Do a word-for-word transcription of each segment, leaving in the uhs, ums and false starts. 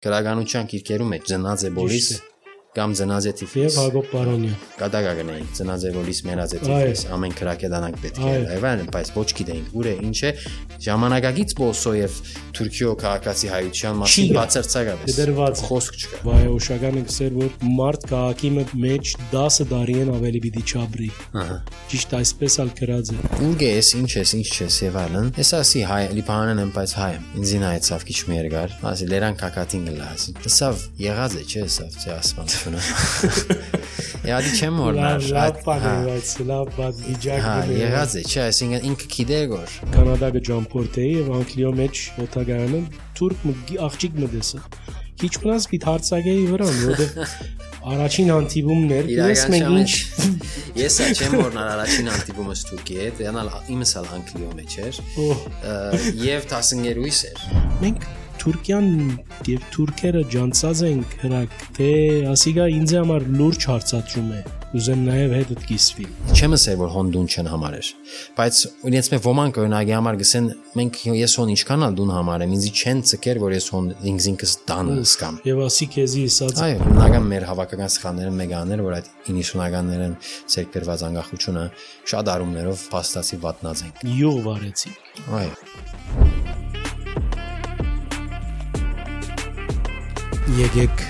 գրականության գիրքերում է Ձնաձե Բոլիս կամ Ձնաձե Թիֆլիս եւ Հակոբ Պարոնյան կատակագնային Ձնաձե Բոլիս Մերաձե Թիֆլիս ամեն քրակեդանանք պետք է այ վան բայց ոչ գիտեինք ուր է ինչ է ժամանակակից Բոսոև Թուրքիո քաղաքացի հայության մասին բացարձակապես դրված խոսք չկա վայոշականը գսեր որ մարդ քաղաքի մեջ դասը դարիեն ավելի պիտի չաբրի ահա ճիշտ այսպես ալ գրած է ուր ես ինչ ես ինչ չես եւ այլն ես ասի հայ լիբանանն եմ բայց հայ եմ ինձ նայեցավ քիչ մի երկար ասի լերան կակատին գլաս սավ եղած է չէ սավ չէ ասման Յադի չեմ օրնար լավ բանից լավ բան իջակ հա եղած է չէ այսինքն ինքը գիտեր որ Կանադա գջամփորտեի եւ Անգլիո մեջ օտագարանը թուրք աղջիկ մդեսը քիչ մնաց պիտ հարցակեի վրան որովհետեւ առաջին հանդիպումներ ես մենք ինչ ես չեմ օրնար առաջին հանդիպումս Թուրքիի հետ յանալ իմս ալ Անգլիո մեջ էր եւ տասնյոթ էր մենք Թուրքիան եւ թուրքերը ջանցած են հրակ թե ասիգա ինձ համար լուրջ հարցածում է ուզեմ նաեւ հետդ կիսվի չեմ ասել որ հոնդուն չեն համարեր բայց իրենց մե ոմանք օրինակի համար գսեն մենք ես հոն ինչքան ալ դուն համարեմ ինձ չեն ցկեր որ ես հոն ինձ ինքս դան սկամ եւ ասի քեզի ասած այո բնական մեր հավաքական սխալները մեգաներ որ այդ իննիսունականներն ցերկերված անկախությունը շատ արումներով փաստացի վատնած են յուղ վարեցի այո Եկեք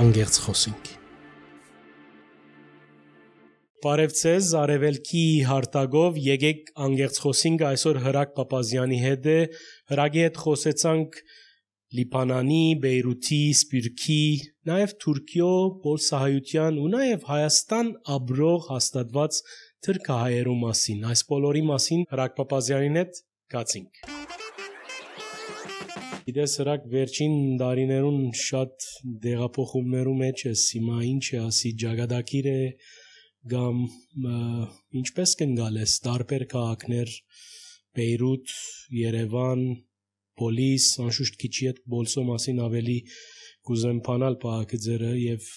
անգերց խոսենք Բարև ձեզ Արևելքի հարտագով եկեք անգերց խոսենք այսօր Հրակ Պապազյանի հետ է Հրակի հետ խոսեցանք Լիբանանի, Բեյրութի, Սպիրկի, նաև Թուրքիո, Պոլսահայության ու նաև Հայաստան ապրող հաստատված թրքահայերու մասին այս բոլորի մասին Հրակ Պապազյանին հետ գացինք Գիտես հրակ վերջին դարիներուն շատ դեղափոխումներու մեջ է հիմա ինչ է ասի ջագադակիր է կամ ինչպես կնգալես տարբեր քաղաքներ Բեյրութ, Երևան, Պոլիս, անշուշտ քիչի հետ Բոլսո մասին ավելի կուզեմ փանալ պահակձերը եւ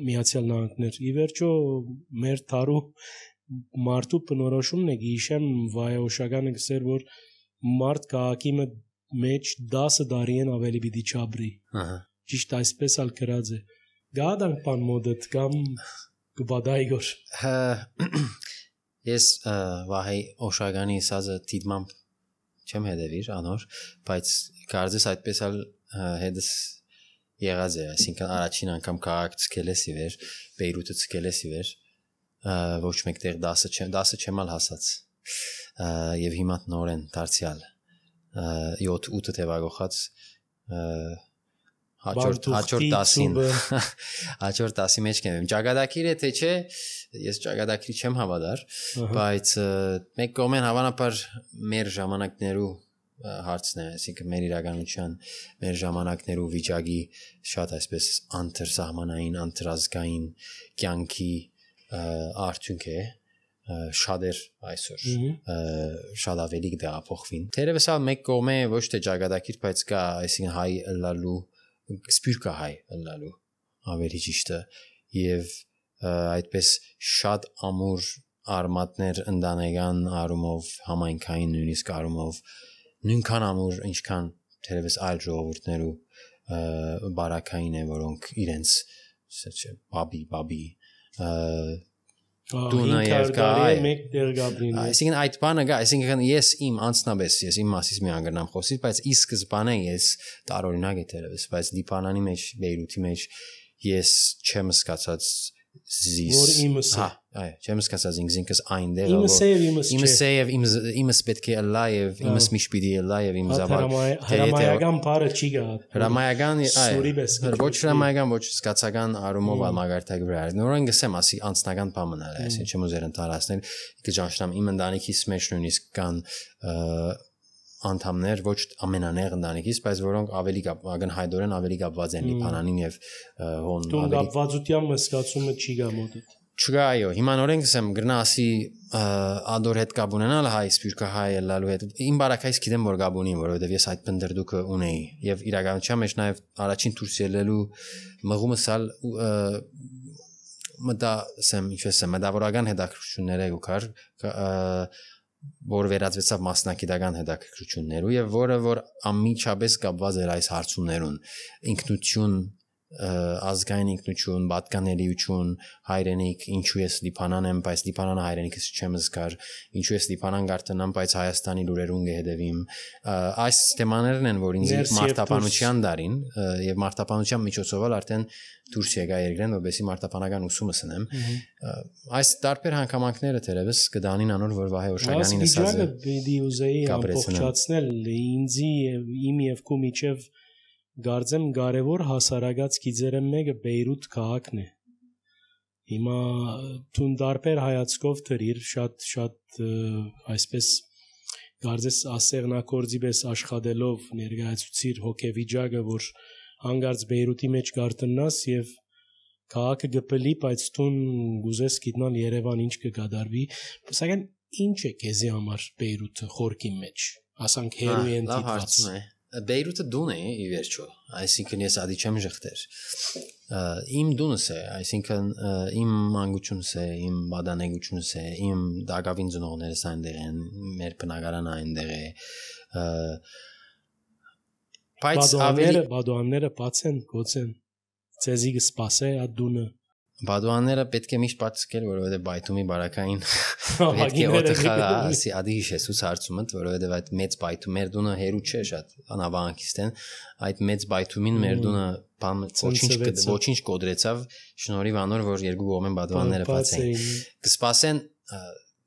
Միացյալ Նահանգներ ի վերջո մեր թարու մարդու բնորոշումն է գիշեմ վայոշականը գսեր որ մարդ քաղաքի մեջ դասը դարիեն ավելի պիտի չաբրի ահա ճիշտ այսպես ալ գրած է գադանք բան մոդդ կամ գբադայգոր ես վահի օշագանի սազը դիտմամբ չեմ հետևիր անոր բայց կարծես այդպես ալ հետս եղած է այսինքն առաջին անգամ քաղաք ցկելես ի վեր Բեյրութը ցկելես ի վեր ոչ մեկտեղ դասը չեմ դասը չեմ ալ հասած եւ հիմա նորեն դարձյալ յոթ ութ թեվագողած հաջորդ հաջորդ տասին հաջորդ տասի մեջ կեմ ճագադակիր է թե չէ ես ճագադակրի չեմ հավատար բայց մեկ կողմեն հավանաբար մեր ժամանակներու հարցն է այսինքն մեր իրականության մեր ժամանակներու վիճակի շատ այսպես անտրսահմանային անտրազգային կյանքի արդյունք է շատեր այսօր շատ ավելի դեպոխվին թերևս ալ մեկ կողմե ոչ թե ճագադակիր բայց կա այսինքն հայ լալու սպիրկա հայ լալու ավելի ճիշտ է եւ այդպես շատ ամուր արմատներ ընդանեկան արումով համայնքային նույնիսկ արումով նույնքան ամուր ինչքան թերևս այլ ժողովուրդներու բարակային է որոնք իրենց չէ բաբի բաբի Դու նաև կա մեկ դեր գաբրին այսինքն այդ բանը գա այսինքն ես իմ անձնաբես ես իմ մասից մի անգամ խոսի բայց ի սկզբանե ես տարօրինակ է դերևս բայց Լիբանանի մեջ Բեյրութի մեջ ես չեմ սկացած զիս որ իմս հա այո չեմ սկացած ինքս այնտեղ իմս է եւ իմս չէ իմս է եւ իմս իմս պետք է լա եւ իմս միշպիդի լա եւ իմ զավակ հրամայական բառը չի գա հրամայական այո ոչ հրամայական ոչ սկացական արումով ալմագարտակ վրա նորեն գսեմ ասի անձնական բան մնալ է այսինքն չեմ ուզեր ընտարացնել կճանչնամ իմ ընտանիքիս մեջ նույնիսկ կան անդամներ ոչ ամենաներ ընտանիքից բայց որոնք ավելի ակնհայտորեն ավելի կապված են Լիբանանին եւ հոն դու կապվածության մսկացումը չի գա մոտ չկա այո հիմա նորեն գսեմ գրնասի ադոր հետ կապ ունենալ հայ սպիրկա հայ լալու հետ իմ բարակայից գիտեմ որ կապ ունի որովհետեւ ես այդ բնդրդուկը ունեի եւ իրականության մեջ նաեւ առաջին դուրս ելելու մղումս ալ մտա սեմ ինչպես է մտավորական հետաքրքրություններ է ուքար որ վերածվեցավ մասնակիտական հետաքրքրություններու եւ որը որ անմիջապես կապված էր այս հարցումներուն ինքնություն ազգային ինքնություն, պատկանելիություն, հայրենիք, ինչու ես Լիբանան եմ, բայց Լիբանանը հայրենիքս չեմ զգար, ինչու ես Լիբանան գարտնամ, բայց Հայաստանի լուրերուն կհետևիմ։ Այս թեմաներն են, որ ինձ մարտապանության դարին եւ մարտապանության միջոցով արդեն դուրս եկա երկրեն, որովհետեւ մարտապանական ուսումը սնեմ։ Այս տարբեր հանգամանքները թերևս կդանին անոր, որ Վահե Օշագյանին ասած է։ Բիդի ուզեի ամբողջացնել ինձի եւ իմ եւ քու միջև Գարձեմ կարևոր հասարակած գիծերը մեկը Բեյրութ քաղաքն է։ Հիմա տուն դարբեր հայացքով դրիր շատ շատ այսպես գարձես ասեղնակորձի պես աշխատելով ներկայացուցիր հոգեվիճակը, որ հանգարց Բեյրութի մեջ գարտնաս եւ քաղաքը գպելի, բայց տուն գուզես գիտնալ Երևան ինչ կգադարվի, սակայն ինչ է քեզի համար Բեյրութը խորքի մեջ, ասանք հերոյ են դիտված։ Բեյրութը դուն է ի վերջո, այսինքն ես ադի չեմ ժխտեր։ Իմ դունս է, այսինքն իմ մանկությունս է, իմ բադանեգությունս է, իմ դակավին ծնողներս այնտեղ են, մեր բնակարանը այնտեղ է։ Բայց ավելի բադուանները բաց են, գոց են։ Ցեզի կսպասե այդ դունը։ Բադուանները պետք է միշտ պատսկել, որովհետև բայթումի բարակային պետք է օդը խաղա, ասի ադի հիշեցուց հարցումը, որովհետև այդ մեծ բայթում մեր դունը հերու չէ շատ անավանքիստեն, այդ մեծ բայթումին մեր դունը բամ ոչինչ ոչինչ կոդրեցավ, շնորհիվ անոր որ երկու կողմեն բադուանները բաց էին։ Կսպասեն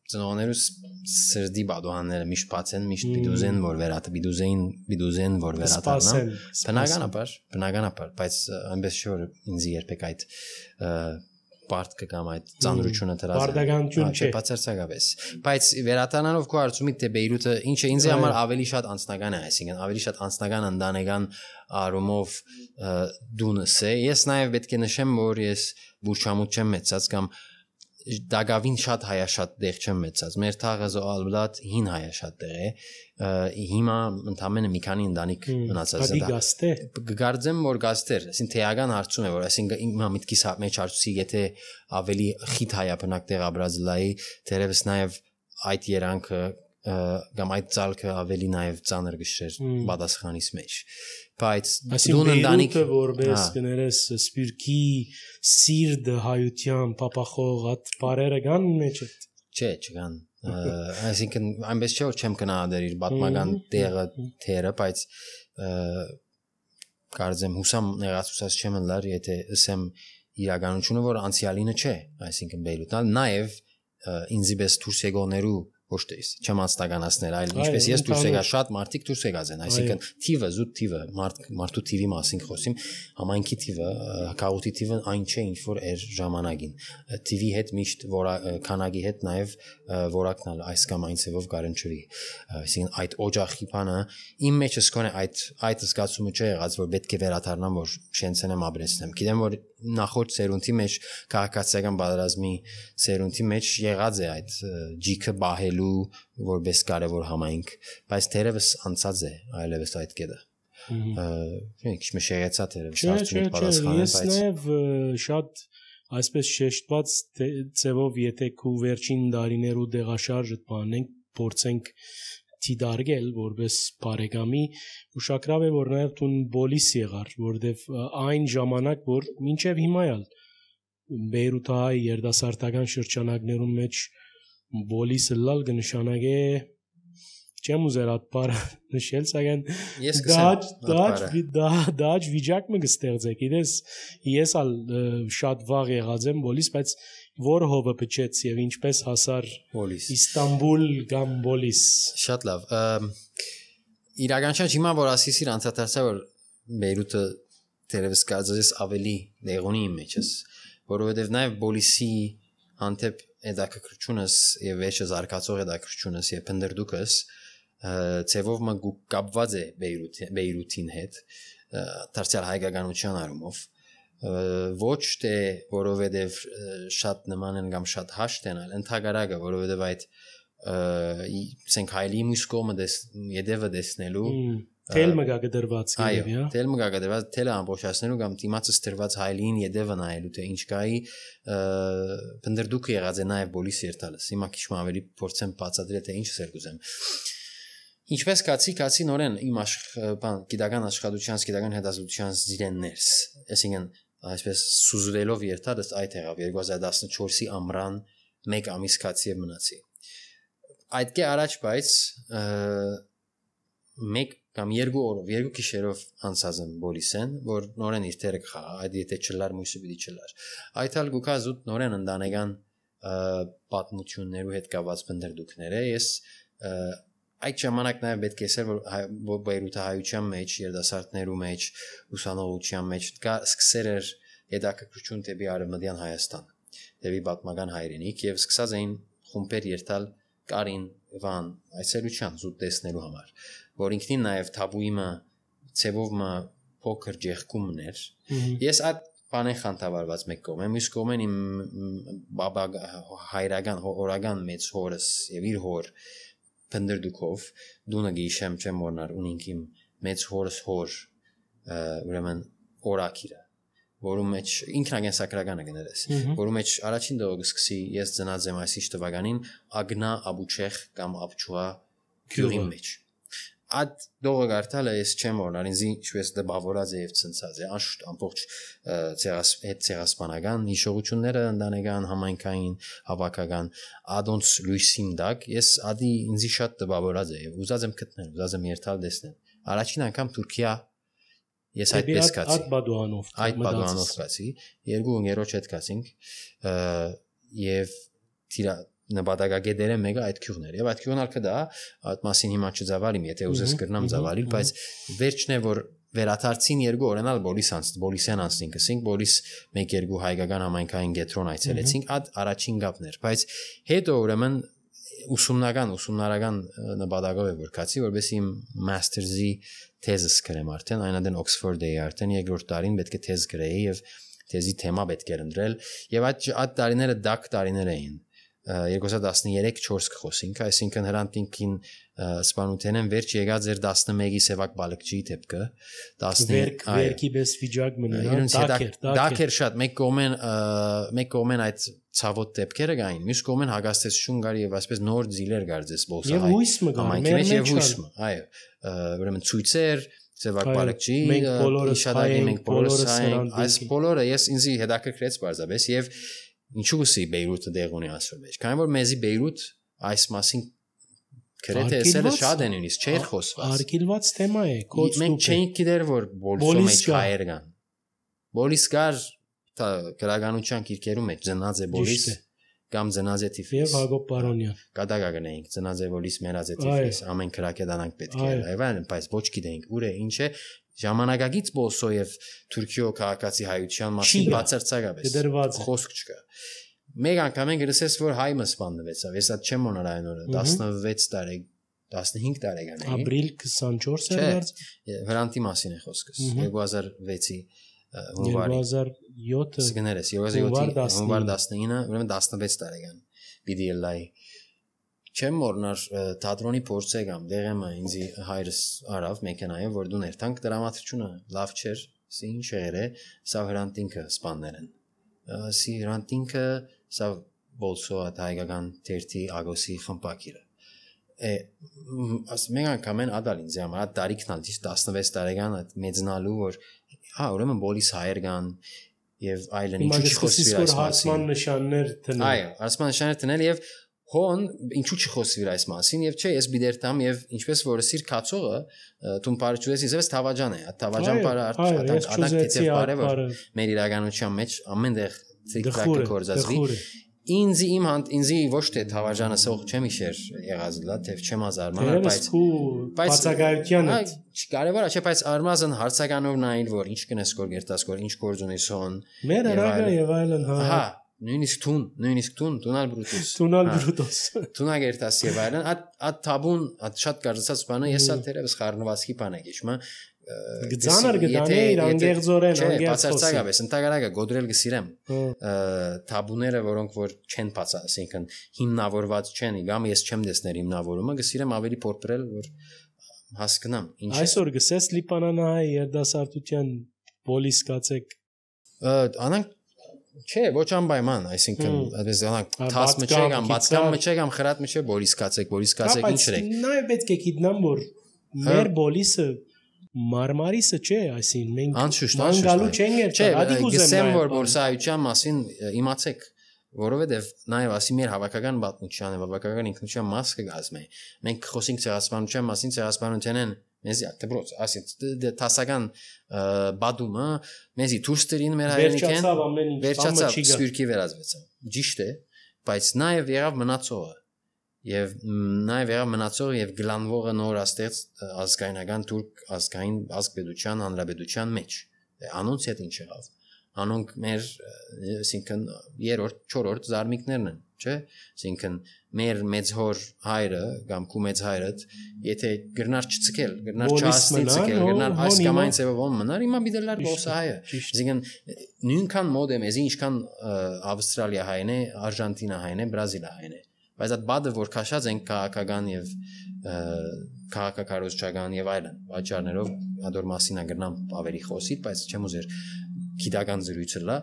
ծնողներուս սրդի բադուանները միշտ բաց են, միշտ բիդուզեն որ վերաթ բիդուզեն բիդուզեն որ վերաթարնան։ Բնականաբար, բնականաբար, բայց այնպես չէ որ ինձ երբեք այդ բարդ կգամ այդ ծանրությունը դրած։ Բարդականություն չէ, բացարձակապես։ Բայց վերաթարնանով քո արծումից թե Բեյրութը ինչ է ինձ համար ավելի շատ անձնական է, այսինքն ավելի շատ անձնական ընտանեկան արումով դունս է։ Ես նաև պետք է նշեմ, որ ես բուրչամուտ չեմ մեծած կամ դագավին շատ հայաշատ դեղ չեմ մեծած։ Մեր թաղը զոալբլատ հին հայաշատ դեղ է։ Հիմա ընդամենը մի քանի ընտանիք մնացած է։ Ադի գաստե։ Գարձեմ որ գաստեր, այսինքն թեական հարցում է, որ այսինքն իմ միտքիս մեջ հարցուցի, եթե ավելի խիտ հայաբնակ դեղ ապրած լայի, դերևս նաև այդ երանքը կամ այդ ցալքը ավելի նաև ծանր գշեր պատասխանից մեջ։ Բայց դուն ընտանիք որպես կներես սպիրկի սիրտ հայության պապախող այդ բարերը կան մեջ է։ Չէ, չկան։ Այսինքն այնպես չէ որ չեմ կնահատել իր պատմական տեղը թերը, բայց կարծեմ հուսամ նեղացուցած չեմ լար, եթե ասեմ իրականությունը որ անցյալինը չէ, այսինքն Բեյրութն նաև ինձի պես դուրս եկողներու ոչ թե չեմ անստականացնել, այլ ինչպես ես դուրս եկա շատ մարդիկ դուրս եկած են, այսինքն թիվը զուտ թիվը մարդու թիվի մասին խոսիմ, համայնքի թիվը, քաղուտի թիվը այն չէ ինչ որ էր ժամանակին, թիվի հետ միշտ քանակի հետ նաև որակնալ այս կամ այն ցևով կարընչվի, այսինքն այդ օջախի բանը իմ մեջ սկոնե այդ այդ զգացումը չէ եղած որ պետք է վերադառնամ որ շենցենեմ ապրեցնեմ, գիտեմ որ նախորդ սերունդի մեջ քաղաքացիական պատերազմի սերունդի մեջ եղած է այդ ջիքը բահելու որպես կարևոր համայնք, բայց թերևս անցած է այլևս այդ կետը։ Ինչ մշերեցա թերևս արդյունք պատասխանել, բայց ես նաև շատ այսպես շեշտված ձևով եթե քու վերջին դարիներու դեղաշարժը բանենք, փորձենք դիդարգել որպես բարեկամի ուշագրավ է որ նաև տուն բոլիս եղար որովհետև այն ժամանակ որ մինչև հիմա էլ Բեյրութի երդասարտական շրջանակներում մեջ բոլիսը լալ կնշանակե չեմ ուզեր այդ բառը նշել սակայն դաջ դաջ դաջ վիճակ մը կստեղծեք իրես ես ալ շատ վաղ եղած եմ բոլիս բայց որ հովը փչեց եւ ինչպես հասար բոլիս Իստանբուլ կամ բոլիս շատ լավ իրականության հիմա որ ասիսիր անցածա որ Բեյրութը դերևս կարծես ավելի դեղունի իմ մեջս որովհետեւ նաեւ բոլիսի անտեպ հետաքրքրությունս եւ վերջը զարգացող հետաքրքրությունս եւ փնդրդուկս ցևով մը կապված է Բեյրութի Բեյրութին հետ դարձյալ հայկականության առումով ոչ թե որովհետեւ շատ նման են կամ շատ հաշտ են այլ ընդհանրակը որովհետեւ այդ սենք հայլի մուսկոմը դես յետևը դեսնելու Թել մգա գդրված այո թել մգա գդրված թելը ամբողջացնելու կամ դիմացը ստրված հայլին յետևը նայելու թե ինչ կայի բնդրդուկը եղած է նաև բոլիս երթալս հիմա քիչ ավելի փորձեմ բացատրել թե ինչ սեր կուզեմ Ինչպես կացի, կացի նորեն իմ բան գիտական աշխատության, գիտական հետազոտության զիրեններս, այսինքն այսպես սուզվելով երթալս այդ եղավ երկու հազար տասնչորսի ամռան մեկ ամիս կացի եւ մնացի։ Այդ կե առաջ բայց մեկ կամ երկու օրով, երկու գիշերով անցած եմ բոլիսեն, որ նորեն իր թերը կխաղա, այդ եթե չլար մույսը պիտի չլար։ Այդ հալ գուքա զուտ նորեն ընտանեկան պատմություններու հետ կապված բնդրդուկներ է, ես Այդ ժամանակ նաև պետք է ասել, որ Բեյրութահայության մեջ, երիտասարդներու մեջ, ուսանողության մեջ կա սկսեր էր հետաքրքրություն դեպի Արևմտյան Հայաստան, դեպի պատմական հայրենիք եւ սկսած էին խումբեր երթալ Կարին, Վան, այցելության զուտ տեսնելու համար, որ ինքնին նաև թաբուիմը, ցևովը փոքր ջեղկումներ։ Ես այդ բանեն խանդավառված մեկ կողմ եմ, մյուս կողմեն իմ բաբա հայրական, հորական մեծ հորս եւ իր հոր Բնդրդուկով դունը գիշեմ չեմ որնար ունինք իմ մեծ հորս հոր ուրեմն օրակիրը որում մեջ ինքնագեն սակրականը գներես որում մեջ առաջին դողը սկսի ես ծնած եմ այսիշ տվականին Ագնա Աբուչեխ կամ Աբչուա գյուղի մեջ Այդ դողը գարտալը ես չեմ որնար ինձ ինչպես դպավորած է եւ ցնցած է անշուշտ ամբողջ հետ ցեղասպանական հիշողությունները ընտանեկան համայնքային հավաքական ադոնց լույսին դակ ես ադի ինձ շատ դպավորած է եւ ուզած եմ գտնել ուզած եմ երթալ տեսնել առաջին անգամ Թուրքիա ես այդպես կացի այդ բադուանով այդ բադուանով կացի երկու ընկերոջ հետ կացինք եւ թիրա նպատակագետերը մեկը այդ քյուղներ եւ այդ քյուղն ալքը դա այդ մասին հիմա չզավալիմ եթե ուզես կրնամ զավալիլ բայց վերջն է որ վերաթարցին երկու օրենալ բոլիս անց բոլիսեն անցնինք ասենք բոլիս մեկ երկու հայկական համայնքային գետրոն այցելեցինք այդ առաջին գապներ բայց հետո ուրեմն ուսումնական ուսումնարական նպատակով է որ կացի որպես իմ մաստերզի թեզս գրեմ արդեն այնադեն Օքսֆորդի արդեն երկրորդ տարին պետք է թեզ գրեի եւ թեզի թեմա պետք էր ընտրել եւ այդ այդ տարիները դակ տարիներ էին երկու հազար տասներեք չորս կխոսինք, այսինքն հրանտինքին սպանութենեն վերջ եկած էր տասնմեկի սևակ բալկջի դեպքը, տասնվերք վերքի պես վիճակ մնան, դակեր, դակեր շատ, մեկ կողմեն մեկ կողմեն այդ ցավոտ դեպքերը կային, մյուս կողմեն հագաստեցություն կար եւ այսպես նոր ձիլեր կարձես բոլսահայ։ Եվ հույսը կար, մեր մեջ հույսը, այո, ուրեմն ցույցեր Սևակ բալկջի, իշադագի մենք բոլորս հայենք, այս բոլորը ես ինձ հետաքրքրեց բարձրապես եւ Ինչու գսի Բեյրութը դեղ ունի ասոր մեջ։ Քանի որ մեզի Բեյրութ այս մասին քրեթե էսել է շատ են ունիս, չէր խոսված։ Արգելված թեմա է, կոց մենք չենք գիտեր որ բոլսո մեջ հայեր կան։ Բոլիս կար գրականության քիրքերում մեջ ծնած է բոլիս կամ ծնած է Թիֆլիս։ Եվ Հակոբ Պարոնյան։ Կատակա գնայինք ծնած է բոլիս մերած է Թիֆլիս, ամեն քրակեդանանք պետք է։ Այվան, բայց ոչ գիտենք ուր է, ինչ է Ժամանակագից բոլսո եւ Թուրքիո քաղաքացի հայության մասին բացարձակապես խոսք չկա։ Մեկ անգամ են գրսես որ հայ մսպանվեցավ, ես այդ չեմ մոռանալ այն օրը, տասնվեց տարի, տասնհինգ տարեկան էի։ Ապրիլ քսանչորս էր դարձ։ Հրանտի մասին է խոսքս, երկու հազար վեցի հունվարի։ երկու հազար յոթ Սգներես, երկու հազար յոթի հունվար տասնինը, ուրեմն տասնվեց տարեկան։ Պիտի լայ Չեմ մոռնար թատրոնի փորձը կամ դեղեմը ինձ հայրս արավ մեքենայով որ դու ներթանք դրամատրությունը լավ չէր, սի ինչ եղեր է, սա հրանտինքը սպաններեն։ Սի հրանտինքը սա բոլսո այդ հայկական թերթի ագոսի խմպակիրը։ Է աս մեկ անգամ են ադալ ինձ համար այդ տարիքն ալ տասնվեց տարեկան այդ մեծնալու որ հա ուրեմն բոլիս հայեր կան եւ այլն ինչու չխոսվի այս մասին։ Հարցման նշաններ դնել։ Այո, հարցման նշաններ դնել եւ Հոն ինչու չխոսվի այս մասին եւ չէ ես բիդերտամ եւ ինչպես որ սիր կացողը տուն բարջուես իզես թավաջան է թավաջան բարը արտադակ ադակ թեթև բարը որ մեր իրականության մեջ ամենտեղ ցիկլակը կորզածվի ինձ իմ հանդ ինձի ոչ թե թավաջանը սող չեմ իշեր եղած լա թեև չեմ ազարմանալ բայց բայց բացակայությանը կարևոր է չէ բայց արմազն հարցականով նայել որ ինչ կնես կոր գերտաս կոր ինչ գործ ունես հոն մեր արագա եւ այլն հա Նույնիսկ տուն, նույնիսկ տուն, տունալ բրուտոս։ Տունալ բրուտոս։ Տունա գերտաս եւ այլն, այդ այդ թաբուն, այդ շատ կարծած բանը ես ալ թերևս խառնվածքի բան է գիշմա։ Գծանար գտանի իր անգեղձորեն, անգեղծ խոսի։ Բացարձակապես, ընդհանրակը գոդրել գսիրեմ։ Թաբուները, որոնք որ չեն բաց, ասենքն հիմնավորված չեն, կամ ես չեմ դեսներ հիմնավորումը, գսիրեմ ավելի փորփրել, որ հասկնամ ինչ այսօր գսես լիբանանահայ երդասարտության պոլիս կացեք անանք չէ ոչ անպայման այսինքն այդպես անանք թաս մը չէ կամ բացկամ մը չէ կամ խրատ մը չէ պոլիս կացեք պոլիս կացեք ինչ եք նայ պետք է գիտնամ որ մեր պոլիսը մարմարիսը չէ այսինքն մենք անշուշտ անցալու չենք չէ գսեմ որ բոլսայության մասին իմացեք որովհետև նաև ասի մեր հավաքական պատմության հավաքական ինքնության մաս կգազմի մենք խոսենք ցեղասպանության մասին ցեղասպանությունն մեզի դեպրոց ասի տասական բադումը մեզի դուրստրին մեր հայրենիքեն վերջացավ սպյուրքի վերածվեցավ ճիշտ է բայց նաև եղավ մնացողը եւ նաև եղավ մնացողը եւ գլանվողը նոր աստեղծ ազգայնական թուրք ազգային ազգպետության հանրապետության մեջ անոնց հետ ինչ եղավ անոնք մեր այսինքն երրորդ չորրորդ զարմիկներն են չէ այսինքն մեր մեծ հոր հայրը կամ քու մեծ հայրդ եթե գրնար չցկել գրնար չհասնել ցկել գրնար այս կամ այն ծավալում մնար հիմա բիդելար բոսահայը այսինքն նույնքան մոդ է մեզի ինչքան ավստրալիա հայն է արժանտինա հայն է բրազիլիա հայն է բայց այդ բադը որ քաշած են քաղաքական եւ քաղաքակարողական եւ այլն վաճառներով ադոր մասինա գրնամ ավելի խոսի բայց չեմ ուզեր գիտական զրույցը լա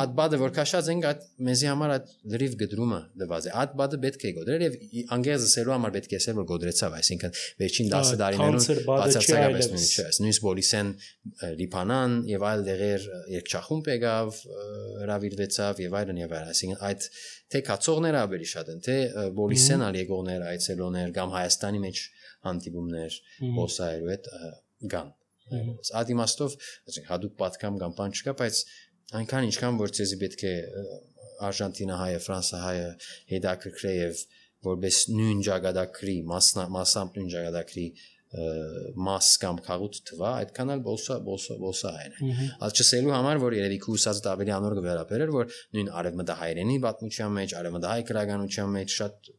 այդ բադը որ քաշած ենք այդ մեզի համար այդ լրիվ գդրումը դված է այդ բադը պետք է գոդրել եւ անգեզը սելու համար պետք է ասել որ գոդրեցավ այսինքն վերջին դասը դարիներուն բացարձակապես նույնը չէ նույնս բոլիսեն լիբանան եւ այլ դեղեր երկչախումբ եկավ հրավիրվեցավ եւ այլն եւ այլն այսինքն այդ թե կացողները ավելի շատ են թե բոլիսեն ալ եկողներ այցելոներ կամ Հայաստանի մեջ հանդիպումներ բոսայրու հետ գան Այդ իմաստով, ասենք հadoop պատկամ կամ բան չկա, բայց այնքան ինչքան որ ցեզի պետք է Արժանտինա հայը, Ֆրանսա հայը հետաքրքրե եւ որպես նույն ճակատագրի, մասամբ նույն ճակատագրի մաս կամ քաղուտ թվա, այդքան էլ բոլսա բոլսա բոլսա այն է։ Այդ չսելու համար որ երևի քուսած ավելի անոր կվերապերել, որ նույն արևմտահայերենի պատմության մեջ, արևմտահայ գրականության մեջ շատ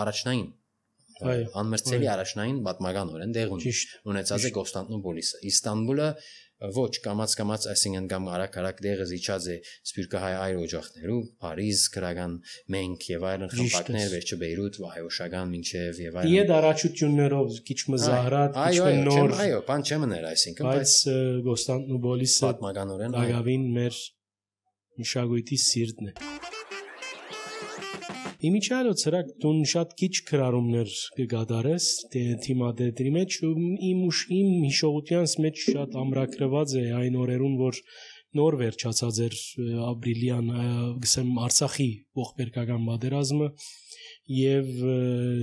առաջնային անմրցելի առաջնային պատմականորեն դեղ ունեցած է Կոստանդնուպոլիսը Իստանբուլը ոչ կամած կամած այսինքն կամ արագ-արագ դեղը զիջած է սպյուրքահայ այր օջախներու Փարիզ քրական մենք եւ այլն խմբակներ վերջը Բեյրութ վահայոշական մինչեւ եւ այլն Իդ առաջություններով քիչ մզահրատ քիչ նոր այո բան չմներ այսինքն բայց Կոստանդնուպոլիսը պատմականորեն այավին մեր մշակույթի սիրտն է Իմիջիալը ցրակ դուն շատ քիչ քրարումներ կգադարես թիմադետրի մեջ իմ ուշ իմ հիշողությանս մեջ շատ ամրագրված է այն օրերուն որ նոր վերջացած էր ապրիլյան գսեմ Արցախի ողբերգական պատերազմը եւ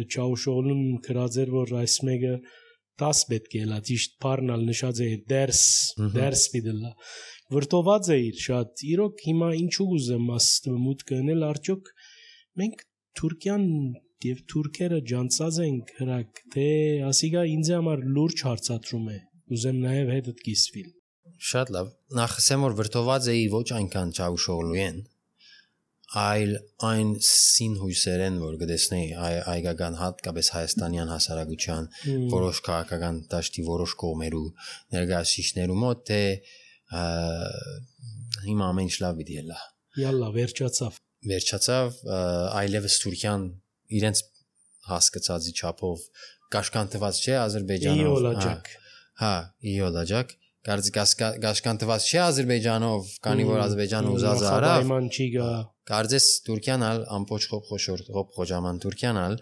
Չաուշօղլուն քրած էր որ այս մեկը տաս պետք է լա ճիշտ բառնալ նշած է դերս դերս պիտելա վրտոված է իր շատ իրոք հիմա ինչու ուզեմ աստ մուտք գնել արդյոք մենք Թուրքիան եւ թուրքերը ջանցած ենք հրակ թե ասիգա ինձ համար լուրջ հարցատրում է ուզեմ նաեւ հետդ կիսվիլ շատ լավ նախ ասեմ որ վրտոված էի ոչ այնքան Չաուշօղլու են այլ այն սին հույսերեն որ գտեսնեի այգական հատկապես հայաստանյան հասարակության որոշ քաղաքական դաշտի որոշ կողմերու ներկայացուցիչներու մոտ թե հիմա ամեն ինչ լավ պիտի լա Յալլա վերջացավ վերջացավ այլևս Թուրքիան իրենց հասկացածի չափով կաշկանդված չէ Ադրբեջանով իոլաջակ հա իոլաջակ կաշկանդված չէ Ադրբեջանով քանի որ Ադրբեջանը ուզած է արավ կարծես Թուրքիան ալ ամբողջ խոշոր խոջաման Թուրքիան ալ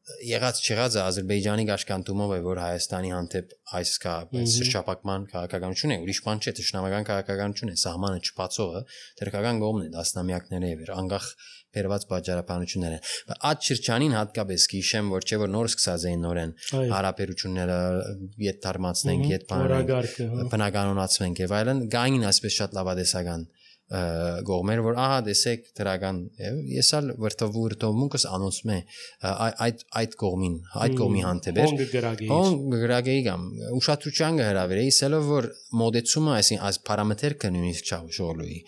եղած չեղածը Ադրբեջանի կաշկանդումով է որ Հայաստանի հանդեպ այս կա շրջապակման քաղաքականություն է ուրիշ բան չէ ճշնամական քաղաքականություն է սահմանը չփածողը թրքական կողմն է դասնամյակները եւ անգախ բերված բաժարապանությունները այդ շրջանին հատկապես կհիշեմ որ չէ որ նոր սկսած էին նորեն հարաբերությունները իդ դարմացնենք իդ բաները բնականոնացվենք եւ այլն գային այսպես շատ լավադեսական գողմեր որ ահա դեսեք դրական ես ալ վրտովու վրտովմունքս անոնցում է այդ այդ կողմին այդ կողմի հանդեպ on գրագեի կամ ուշադրության կհրավիրեի սելով որ մոդեցումը այսին այս պարամետրը նույնիսկ Չաուշօղլուի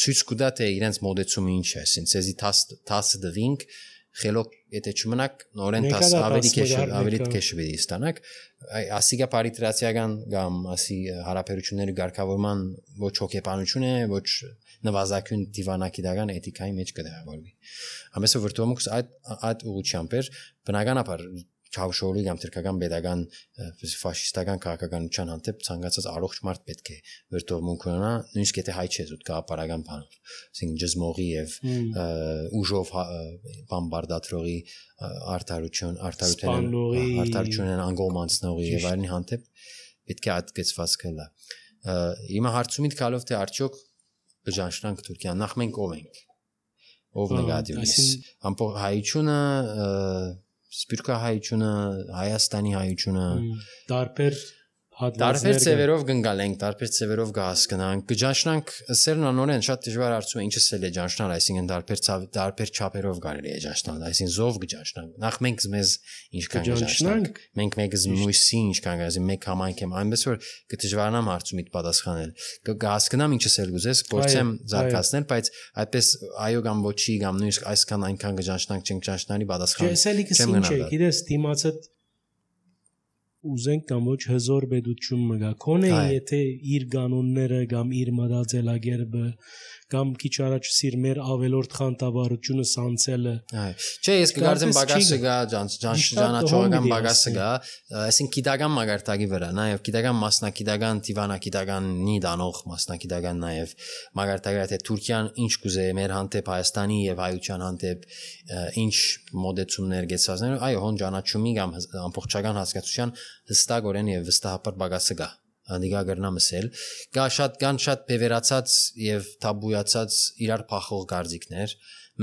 ցույց կտա թե իրենց մոդեցումը ինչ է այսին ցեզի տաս տասը դվինք խելոք եթե չմնաք նորեն տաս ավելի քեշ ավելի քեշ վիդի ստանաք ասիգա պարիտրացիական կամ ասի հարաբերությունների ղեկավարման ոչ հոգեբանություն է ոչ նվազագույն դիվանագիտական էթիկայի մեջ կդրավորվի ամենը վրտոմուքս այդ այդ ուղղությամբ էր բնականաբար Չավշորի կամ թրքական pedagogan ֆաշիստական քաղաքականության հանդեպ ցանկացած առողջ մարդ պետք է վրդովմունք ունենա, նույնիսկ եթե հայ չէ զուտ կապարական բանով, այսինքն ջզմողի եւ ուժով բամբարդատրողի արդարություն, արդարության արդարությունն անգոմանցնողի եւ այլն հանդեպ պետք է այդ գծվածքը լա։ Հիմա հարցումից գալով թե արդյոք բջանշնանք Թուրքիան, նախ մենք ով ենք, ով նեգատիվից, ամբողջ հայությունը, սփյուռքա հայությունը, Հայաստանի հայությունը, տարբեր տարբեր ծևերով գնալ ենք, տարբեր ծևերով կհասկանանք, կջանշնանք, սերն անորեն շատ դժվար հարցում է, ինչը սել է ջանշնալ, այսինքն տարբեր տարբեր չափերով կարելի է ջանշնալ, այսինքն զով կջանշնանք։ Նախ մենք մեզ ինչքան կջանշնանք, մենք մեկը զմույսի ինչքան գազի մեկ համայնք եմ, այնպես որ կդժվարանամ հարցումիդ պատասխանել։ Կհասկանամ ինչը սել գուզես, փորձեմ զարգացնել, բայց այդպես այո կամ ոչի կամ նույնիսկ այսքան այնքան կջանշնանք, չենք ջանշնալի պատասխան չեմ գնալ։ Գիտես, դիմացը ուզենք կամ ոչ հզոր պետություն մգա կոնե եթե իր կանոնները կամ իր մտածելակերպը կամ քիչ առաջ սիր մեր ավելորդ խանտավառությունը սանցելը չէ ես կգարձեմ բագասը գա ճանաչողական բագասը գա այսինքն գիտական մագարտակի վրա նաև գիտական մասնակիտական դիվանագիտականի դանող մասնակիտական նաև մագարտակի թե Թուրքիան ինչ կուզե մեր հանդեպ Հայաստանի եւ հայության հանդեպ ինչ մոդեցումներ գեցածներ այո հոն ճանաչումի կամ ամբողջական հասկացության հստակորեն եւ վստահաբար բագասը գա Անդիգա գրնամսել կա շատ կան շատ բևերացած եւ թաբույացած իրար փախող գարձիկներ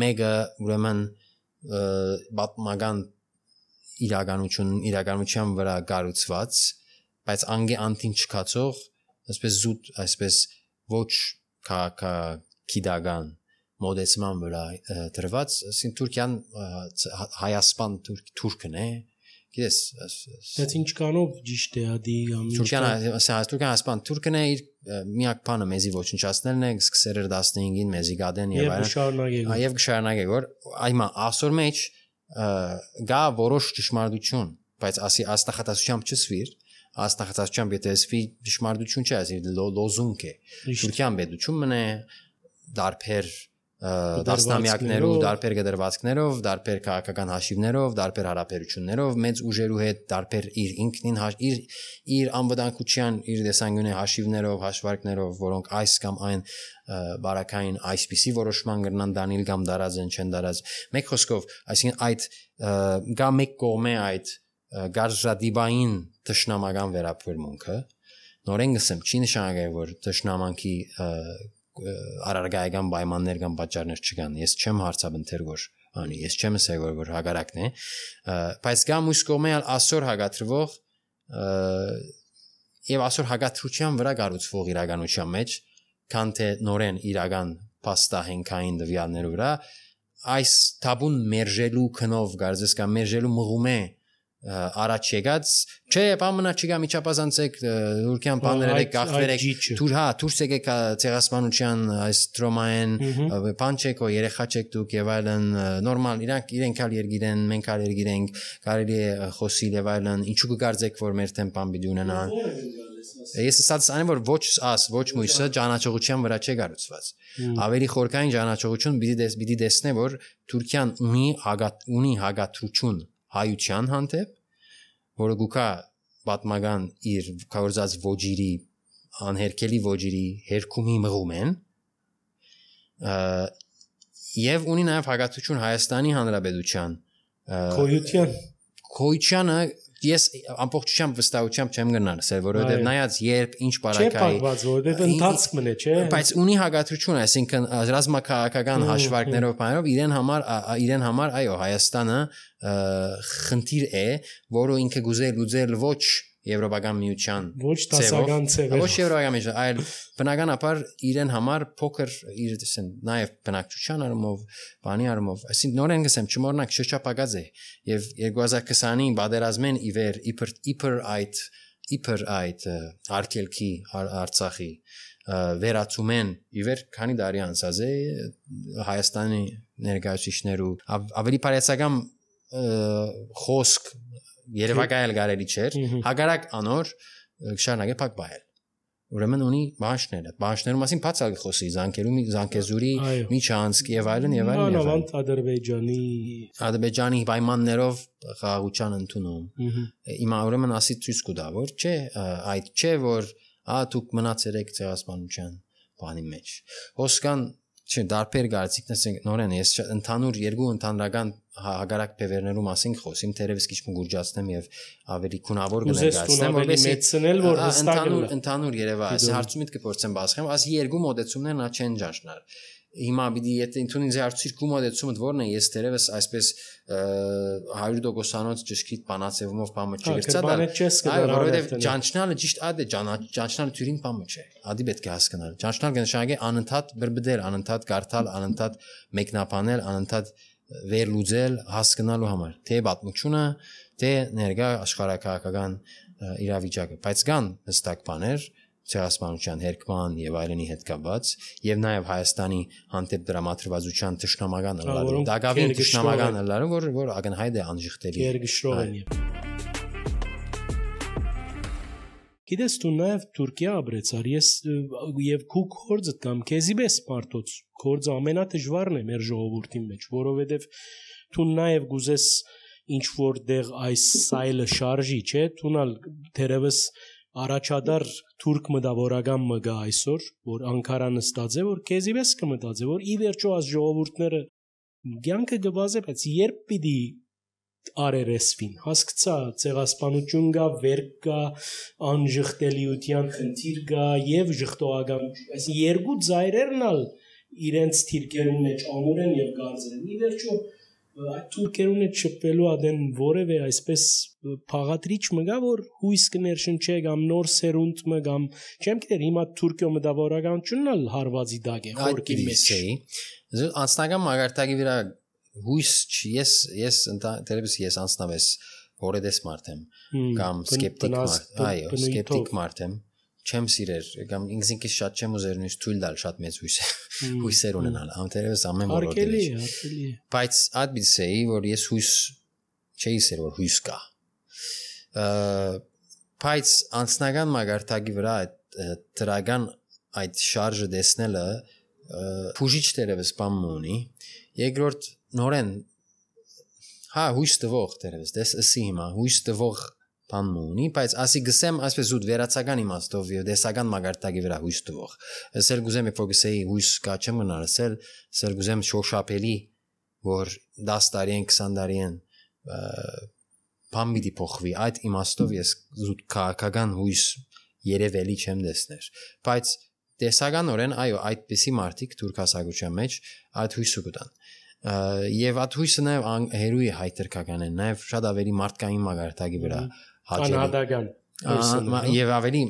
մեկը ուրեմն բատմական իրականություն իրականության վրա գառուցված բայց անգե անտին չկացող այսպես զուտ այսպես ոչ քաղաք քիդագան մոդեցման վրա դրված ասին Թուրքիան հայասպան թուրքն է Գիտես, բայց ինչ կանով ճիշտ է ադի կամ Թուրքիան, ասած Թուրքիան ասպան Թուրքն է իր միակ բանը մեզի ոչնչացնելն է, սկսել էր տասնհինգին մեզի գադեն եւ այլն։ Եվ կշարունակե որ այմա ասոր մեջ գա որոշ ճշմարտություն, բայց ասի աստախատասությամբ չսվիր, աստախատասությամբ եթե սվի ճշմարտություն չէ, ասի լոզունգ է։ Թուրքիան պետություն մնե դարբեր դասնամյակներով, դարբեր գդրվածքներով, դարբեր քաղաքական հաշիվներով, դարբեր հարաբերություններով, մեծ ուժերու հետ դարբեր իր ինքնին իր իր անվտանգության, իր դեսանգյունի հաշիվներով, հաշվարկներով, որոնք այս կամ այն բարակային այսպիսի որոշման կրնան դանիլ կամ դարածեն չեն դարած։ Մեկ խոսքով, այսինքն այդ գա մեկ կողմե այդ գարժադիբային տշնամական վերաբերմունքը, նորեն գսեմ, չի նշանակի, որ տշնամանքի արարգայական պայմաններ կամ պատճառներ չկան ես չեմ հարցաբնթեր որ անի ես չեմ ասել որ որ հագարակն է բայց կա մյուս կողմը ասոր հագատրվող եւ ասոր հագատրության վրա կառուցվող իրականության մեջ քան թե նորեն իրական փաստահենքային դվյալներու վրա այս թաբուն մերժելու քնով գարձես կամ մերժելու մղում է առաջ եկած չէ բամնա չգա միջապազանցեք Թուրքիան բաները գախվերեք թուր հա դուրս եկեք ցեղասպանության այս տրոմային բանչեկո երեխաչեք դուք եւ այլն նորմալ իրանք իրենք ալ երգիրեն մենք ալ երգիրենք կարելի է խոսիլ եւ այլն ինչու կգարձեք որ մեր տեմպան պիտի ունենան ես ասած այն որ ոչ աս ոչ մույսը ճանաչողության վրա չէ գառուցված ավելի խորքային ճանաչողություն պիտի պիտի տեսնե որ Թուրքիան ունի հագատ ունի հագատրություն հայության հանդեպ, որը գուկա պատմական իր կավորած ոճիրի, անհերքելի ոճիրի հերքումի մղում են, և ունի նաև հագատություն Հայաստանի Հանրապետության քոյության քոյությանը ես ամբողջությամբ վստահությամբ չեմ գնալ, ասել, որովհետև նայած երբ ինչ բարակայի չէ պատված, որովհետև ընթացք մնե, չէ։ Բայց ունի հագատրություն, այսինքն ռազմաքաղաքական հաշվարկներով բաներով իրեն համար իրեն համար այո Հայաստանը խնդիր է, որը ինքը գուզե լուծել ոչ Եվրոպական միության ոչ դասական ծևեր ոչ Եվրոպական միության այլ բնականաբար իրեն համար փոքր իր դեսեն նաև բնակչության առումով բանի առումով այսինքն նորեն գսեմ չմոռնանք շրջապագած է եւ երկու հազար քսանին բادرազմեն իվեր իբր իբր այդ իբր այդ արկելքի Արցախի վերացումեն իվեր քանի տարի անցած է Հայաստանի ներկայացուցիչներու ավելի բարեցական խոսք Երևակայել գարելի չէր հագարակ անոր շարունակե փակ բայել ուրեմն ունի բանջները բանջներու մասին բացալ խոսի զանգերու զանգեզուրի միջանցք եւ այլն եւ այլն եւ այլն Ադրբեջանի Ադրբեջանի պայմաններով խաղաղության ընդունում հիմա ուրեմն ասի ցույց կտա որ չէ այդ չէ որ ա դուք մնացել եք ցեղասպանության բանի մեջ հոսքան չէ դարբեր գարցիկներ նորեն ես ընդհանուր երկու ընդհանրական հագարակ բևերներու մասին խոսիմ թերևս քիչ մգուրջացնեմ եւ ավելի քունավոր կներկայացնեմ որովհետեւ մեծնել որ ընդհանուր ընդհանուր երևա այս հարցումից կփորձեմ բացեմ աս երկու մոդեցումներն ա չեն ճաշնար հիմա պիտի եթե ինքնին զարցիրկու մոդեցումը որն է ես թերևս այսպես հարյուր տոկոսանոց ճշգրիտ բանացեվումով բամը չգրծադալ այո որովհետեւ ճանչնալը ճիշտ այդ է ճանչնալը թյուրին բամը չէ ադի պետք է հասկանալ ճանչնալ կնշանակի անընդհատ բրբդել անընդհատ կարդալ անընդհատ մեկնաբանել անընդհատ վերլուծել հասկանալու համար թե պատմությունը թե ներկա աշխարհակահաղական իրավիճակը բայց կան հստակ բաներ ցեղասպանության հերկման եւ այլնի հետ կապված եւ նաեւ Հայաստանի հանդեպ դրամատրվածության ճշնամական ըլլալու դակավին ճշնամական ըլլալու որ որ ակնհայտ է անժխտելի երգշրով են գիտես դու նաեւ Թուրքիա ապրեցար ես եւ քու կորձը կամ քեզիբես մարդոց կորձը ամենադժվարն է մեր ժողովրդի մեջ որովհետեւ դու նաեւ գուզես ինչ որ դեղ այս սայլը շարժի չէ դունալ թերևս առաջադար թուրք մտավորական մը գա այսօր որ Անկարա նստած է որ քեզիվես կմտածե որ ի վերջո աս ժողովուրդները ցանկը գվազե բայց երբ պիտի արերեսվին հասկացա ցեղասպանություն գա վերք կա անժխտելիության խնդիր գա եւ ժխտողական այս երկու ծայրերնալ իրենց թիրքերուն մեջ ամուր են եւ գարձ են ի վերջո այդ թուրքերուն է չպելու ադեն որևէ այսպես փաղատրիչ մգա որ հույս կներշնչե կամ նոր սերունդ մը կամ չեմ գիտեր հիմա Թուրքիո մտավորականությունն էլ հարվածի դակ է խորքի մեջ անձնական մագարտակի վրա հույս չի ես ես դերևս ես անձնավես որեդես մարդ եմ կամ սկեպտիկ մարդ այո սկեպտիկ մարդ եմ չեմ սիրեր կամ ինքնին շատ չեմ ուզեր նույնիսկ թույլ տալ շատ մեծ հույս հույսեր ունենալ ամենտերևս ամեն որոդի բայց այդ բիզեի որ ես հույս չէի սեր որ հույս կա բայց անձնական մագարտակի վրա դրական այդ շարժը դեսնելը փուժիչ դերևս բան ունի երկրորդ նորեն հա հույս տվող դերևս դες ասի հիմա հույս տվող բան ունի բայց ասի գսեմ այսպես զուտ վերացական իմաստով եւ դեսական մագարտակի վրա հույս տվող ասել գուզեմ երբ որ գսեի հույս կա չեմ գնալսել ասել գուզեմ շոշափելի որ դաս տարի են քսան տարի են բան մի փոխվի այդ իմաստով ես զուտ քաղաքական հույս երևելի չեմ դեսներ բայց դեսականորեն այո այդպիսի մարդիկ թուրք հասարակության մեջ այդ հույսը կտան եւ այդ հույսը նաեւ հերույի հայտրկական են նաեւ շատ ավելի մարդկային մագարտակի վրա անհատական եւ ավելի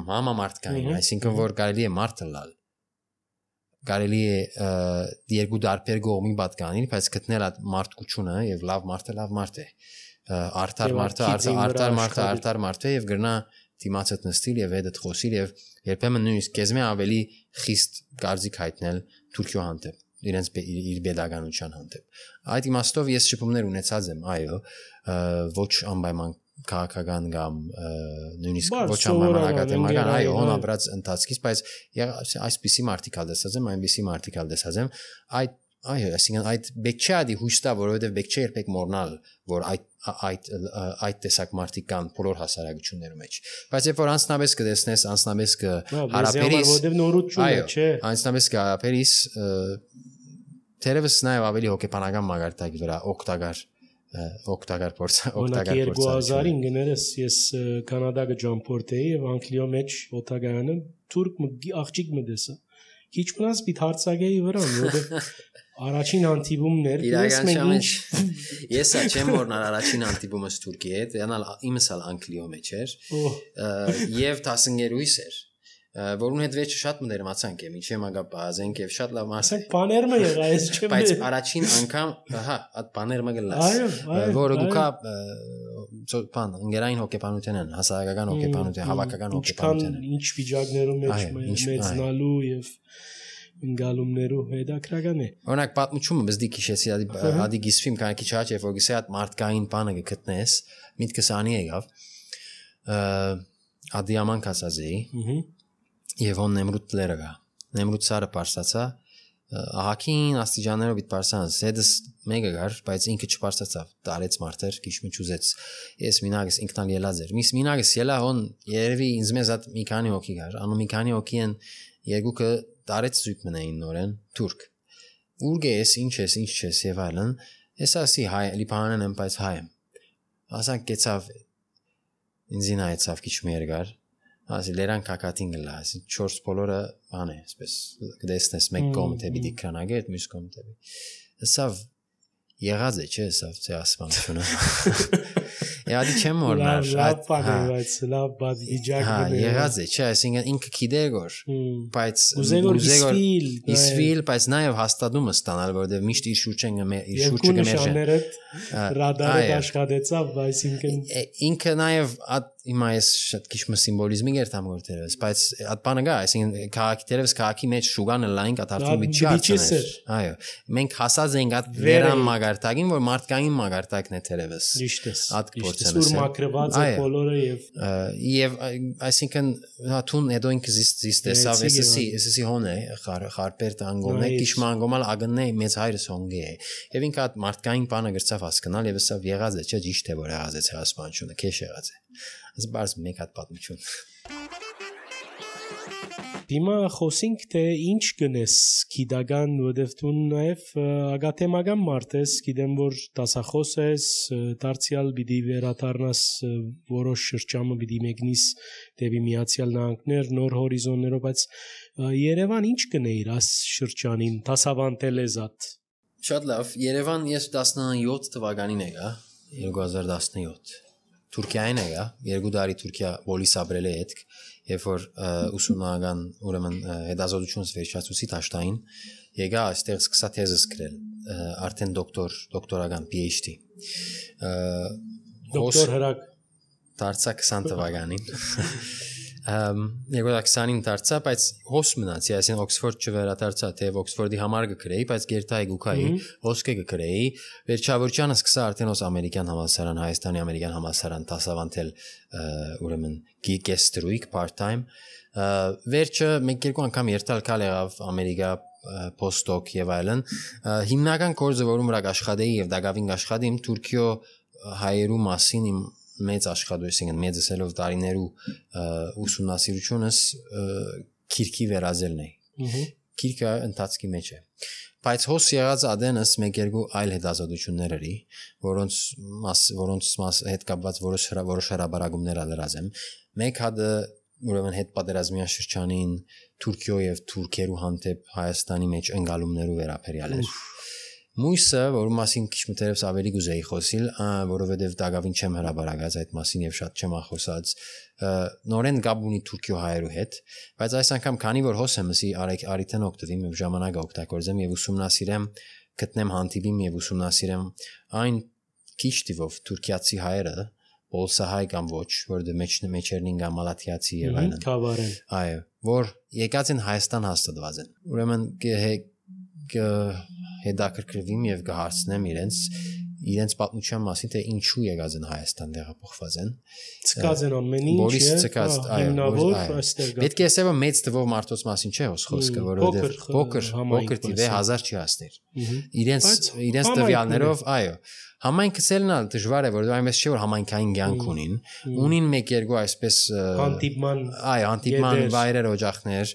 համամարտկային այսինքն որ կարելի է մարդը լալ կարելի է երկու դարբեր կողմի պատկանել բայց գտնել այդ մարդկությունը եւ լավ մարդը լավ մարդ է արդար մարդը արդար մարդը արդար մարդ է եւ գրնա դիմացդ նստիլ եւ հետդ խոսիլ եւ երբեմն նույնիսկ կեզմե ավելի խիստ կարծիք հայտնել Թուրքիո հանդեպ իրենց իր pedagogical հանդեպ այդ իմաստով ես շփումներ ունեցած եմ այո ոչ անպայման քաղաքական կամ նույնիսկ ոչ անպայման ակադեմիական այո հոնաբրած ընթացքից բայց այսպիսի մարտիկալ դեսած եմ այնպիսի մարտիկալ դեսած եմ այդ այո այսինքն այդ բեք չէ ադի հույստա որովհետև բեք չէ երբեք մոռնալ որ այդ այդ այդ տեսակ մարտիկ կան բոլոր հասարակություններում մեջ բայց երբ որ անձնապես կտեսնես անձնապես կհարաբերես որովհետև նորություն է չէ անձնապես կհարաբերես թերևս նաև ավելի հոգեբանական մագարտակի վրա օգտակար օգտակար փորձ օգտակար փորձ երկու հազարին գներես ես կանադա գջամփորտեի եւ անգլիո մեջ օտագայանը թուրք աղջիկ մտեսա քիչ մնաց պիտ հարցակեի վրա որովհետեւ առաջին հանդիպումներ իրականության մեջ ես չեմ որնալ առաջին հանդիպումս Թուրքի հետ յանալ իմս ալ անգլիո մեջ էր եւ տասնյոթ էր որուն հետ վերջը շատ մտերմացանք եմ ինչի մագա բազենք եւ շատ լավ մասը բաները եղա ես չեմ բայց առաջին անգամ հա այդ բաները մգլաս որը դուքա բան ընկերային հոգեբանություն են հասարակական հոգեբանություն հավաքական հոգեբանություն ինչ վիճակներում մեջ մեծնալու եւ ընկալումներու հետաքրական է օրինակ պատմությունը բզդի քիշեցի ադի գիսվիմ քանի քիչ հաճ երբ որ գսե այդ մարդկային բանը գտնես միտքս անի եղավ ադի աման կասազեի եւ on Nemrut լերը գա Nemrut սարը պարսացա ահակին աստիճաններով իդ պարսանց հետս մեկը գար բայց ինքը չպարսացավ տարեց մարտեր քիչ մի ճուզեց ես մինագս ինքնալ ելած էր միս մինագս ելա on երևի ինձ մեզ այդ մի քանի հոգի գար անու մի քանի հոգի են երկուքը տարեց զույգ մնային նորեն թուրք ուր գես ինչ ես ինչ ես եւ այլն ես ասի հայ լիբանան եմ բայց հայ եմ ասանք կեցավ ինձին այցավ քիչ մի երկար ասի լերան կակատին գլա ասի չորս բոլորը բան է այսպես գտեսնես մեկ կողմ տեպի դիքրանագետ մյուս կողմ տեպի հսավ եղած է չէ հսավ ցե ասմանությունը Յադի չեմ օրնար լավ բան է բայց լավ բաց վիճակ հա եղած է չէ այսինքն ինքը գիտեր որ բայց ուզեգոր իսվիլ բայց նաև հաստատումը ստանալ որովհետև միշտ իր շուրջը իր շուրջը գմերժը ռադարը աշխատեցավ այսինքն ինքը նաև հիմա ես շատ քիչ մի սիմվոլիզմի գերտամ գործերս բայց այդ բանը գա այսինքն քաղաքի դերևս քաղաքի մեջ շուգանը լայն կատարվում մի չարցներ այո մենք հասած ենք այդ վերան մագարտակին որ մարդկային մագարտակն է դերևս այդ Սուր մակրված է բոլորը եւ եւ այսինքն հաթուն հետո ինքը զիստ տեսավ էսի էսի հոնե խարպեր տանգոմը քիչ մանգոմալ ագննե մեծ հայրս հոնգե եւ ինքը այդ մարդկային բանը գրծավ հասկանալ եւ հեսա եղած է չէ ճիշտ է որ եղած է հասկանությունը քեշ եղած է այս բարձ մեկ հատ պատմություն Դիմա խոսենք թե ինչ գնես գիտական որովհետև դու նաև ագաթեմական մարդ ես գիտեմ որ դասախոս ես դարձյալ պիտի վերադառնաս որոշ շրջանը պիտի մեկնիս դեպի Միացյալ Նահանգներ նոր հորիզոններով բայց Երևան ինչ գնեիր այս շրջանին դասավանդել ես at Շատ լավ Երևան ես տասնյոթ թվականին եկա երկու հազար տասնյոթ Թուրքիային եկա երկու տարի Թուրքիա Բոլիս ապրել է հետք երբ որ ուսումնական ուրեմն հետազոտությունս վերջացուցի Տաշտային եկա այստեղ սկսա թեզս գրել արդեն դոկտոր դոկտորական PhD դոկտոր հրակ դարձա քսան թվականին երկու հազար քսանին դարձա բայց հոս մնացի այսին Օքսֆորդ չվերադարձա թե Օքսֆորդի համար կգրեի բայց գերտայի գուքայի ոսկե կգրեի վերջավորջանը սկսա արդեն ոս ամերիկյան համալսարան Հայաստանի ամերիկյան համալսարան դասավանդել ուրեմն գեստրույք part time վերջը մեկ երկու անգամ երթալ կալ եղավ ամերիկա post-doc եւ այլն հիմնական կորձը որում ռակ աշխատեի եւ դակավին աշխատեի Թուրքիո հայերու մասին իմ մեծ աշխատություն մեծ սելով տարիներու ուսումնասիրությունս քիրքի վերածելն է քիրքը ընթացքի մեջ է բայց հոս եղած ադենս մեկ երկու այլ հետազոտություններ էի որոնց որոնց հետ կապված որոշ որոշ հրաբարագումներ ալրած եմ մեկ հատը ուրեմն հետ պատերազմյան շրջանին Թուրքիո եւ թուրքերու հանդեպ Հայաստանի մեջ ընկալումներու վերաբերյալ էր Մույսը, որում մասին քիչ մտերևս ավելի գուզեի խոսիլ, որովհետև դակավին չեմ հրաբարակած այդ մասին եւ շատ չեմ ախոսած, նորեն գաբ ունի Թուրքիո հայերու հետ, բայց այս անգամ քանի որ հոս եմ ասի արիթեն օգտվեմ եւ ժամանակը օգտագործեմ եւ ուսումնասիրեմ, գտնեմ հանդիպիմ եւ ուսումնասիրեմ այն քիչ տիվով թուրքիացի հայերը, բոլսահայ կամ ոչ, որը մեջ մեջերնին կամ մալաթիացի եւ այլն։ Քավարեն։ Այո, որ եկած են Հայաստան հաստատված են։ Ուրեմն հետաքրքրվիմ եւ կհարցնեմ իրենց իրենց պատմության մասին թե ինչու եկած են Հայաստան տեղափոխված են ցկած են ամեն ինչ Բոլիս ցկած այո պետք է ասեմ մեծ թվով մարդոց մասին չէ խոսքը որովհետեւ փոքր փոքր տիվե հազար չի հասներ իրենց իրենց տվյալներով այո Համայնքը ցելնալ դժվար է որ այնպես չէ որ համայնքային կյանք ունին ունին մեկ երկու այսպես հանդիպման այ հանդիպման վայրեր օջախներ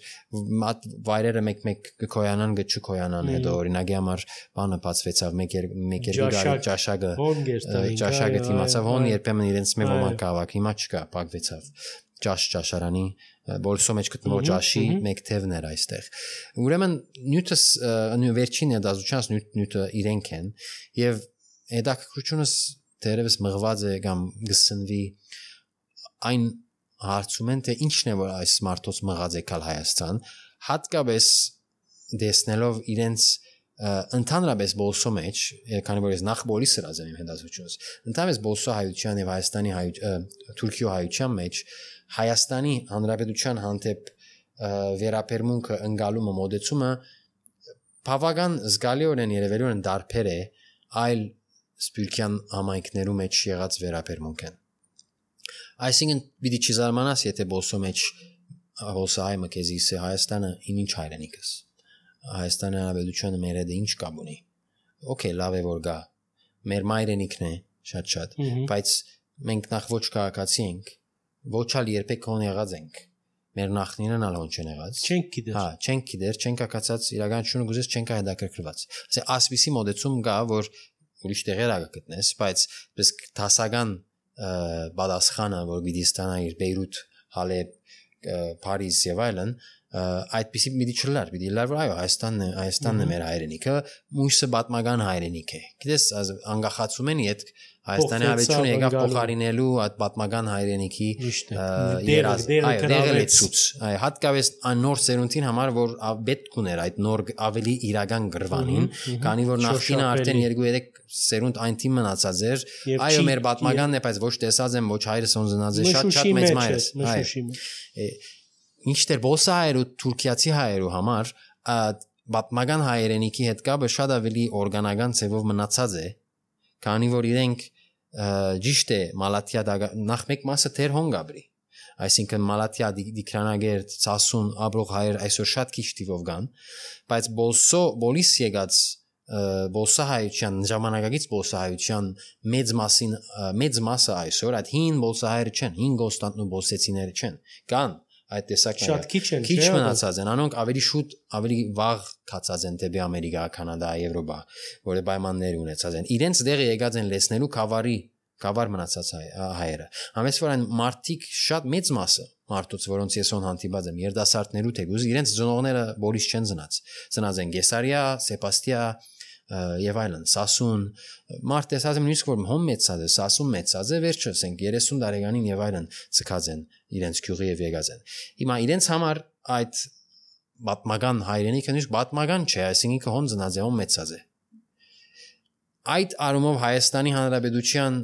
վայրերը մեկ-մեկ կկոյանան գչկոյանան հետո օրինակի համար բանը բացվեցավ մեկ մեկ երկու ճաշակը ճաշակը դիմացավ հոն երբեմն իրենց մի ոմանք կավակ հիմա չկա փակվեցավ ճաշ ճաշարանի բոլսո մեջ գտնվող ճաշի մեկ թևներ այստեղ ուրեմն նյութս վերջին դասուչանս նյութը իրենք են եւ Հետաքրքրությունս դերևս մղված է կամ գսնվի այն հարցում են թե ինչն է որ այս մարդոց մղած է կալ Հայաստան հատկապես դեսնելով իրենց ընդհանրապես բոլսո մեջ քանի որ ես նախ բոլիս սրած եմ հետազոտությունս ընդհանրապես բոլսո հայության եւ Հայաստանի Թուրքիո հայության մեջ Հայաստանի հանրապետության հանդեպ վերապերմունքը ընկալումը մոդեցումը բավական զգալիորեն երևելիորեն դարբեր է այլ սպյուրքյան համայնքներու մեջ եղած վերապերմունք են։ Այսինքն պիտի չզարմանաս, եթե բոլսո մեջ հոսայմը քեզի սե Հայաստանը ինչ հայրենիքս Հայաստանի Հանրապետությունը մեր հետ ինչ կապ ունի օքեյ լավ է որ գա մեր մայրենիքն է շատ-շատ բայց մենք նախ ոչ քաղաքացի ենք ոչ ալ երբեք հոն եղած ենք մեր նախնիներն ալ հոն չեն եղած չենք գիտեր հա չենք գիտեր չենք ակացած իրականությունը գուզես չենք հետաքրքրված ասե ասպիսի մոդեցում գա որ ուրիշ տեղեր ա գտնես բայց պես դասական բադասխանը որ գիտի ստանա իր Բեյրութ Հալեբ Փարիզ եւ այլն այդպիսի մի դիչլար մի դիլար որ այո Հայաստանն է Հայաստանն է մեր հայրենիքը մույսը պատմական հայրենիք է գիտես անգախացում են իդ Հայաստանի Հանրապետությունը եկավ փոխարինելու այդ պատմական հայրենիքի երազ այո դերեցուց այո հատկապես նոր սերունդին համար որ պետք ուներ այդ նոր ավելի իրական գրվանին քանի որ նախկինը արդեն երկու երեք սերունդ այն թիմ մնացած էր այո մեր պատմականն է բայց ոչ տեսած եմ ոչ հայրս ոնզնած է շատ շատ մեծ մայրս այո Ինչտեր բոսա հայերու Թուրքիացի հայերու համար պատմական հայրենիքի հետ կապը շատ ավելի օրգանական ձևով մնացած է քանի որ իրենք ճիշտ է Մալաթիա նախ մեկ մասը թեր հոնգաբրի այսինքն Մալաթիա Դիկրանագերտ Սասուն Աբրող հայեր այսօր շատ քիչ տիվով կան բայց բոլսո բոլիս եկած բոսա հայության ժամանակակից բոսա հայության մեծ մասին մեծ մասը այսօր այդ հին բոսա հայերը չեն հին գոստանտնու բոսեցիները չեն կան այդ տեսակները շատ քիչ են քիչ մնացած են անոնք ավելի շուտ ավելի վաղ կացած են դեպի Ամերիկա, Կանադա, Եվրոպա, որը պայմաններ ունեցած են։ Իրենց դեղը եկած են լեցնելու կավարի, կավար մնացած հայերը։ Համես որ այն մարտիկ շատ մեծ մասը մարդուց, որոնց ես on հանդիպած եմ, երդասարտներու թեգուզ, իրենց ծնողները բոլիս չեն ծնած։ Ծնած են Գեսարիա, Սեբաստիա եւ այլն Սասուն մարդ տեսած եմ նույնիսկ որ հոմ մեծած է Սասուն մեծած է վերջը ասենք երեսուն տարեկանին եւ այլն ցկած են իրենց քյուղի եւ եկած են հիմա իրենց համար այդ պատմական հայրենիքը նույնիսկ պատմական չէ այսինքն հոն ծնած է հոմ մեծած է այդ արումով Հայաստանի Հանրապետության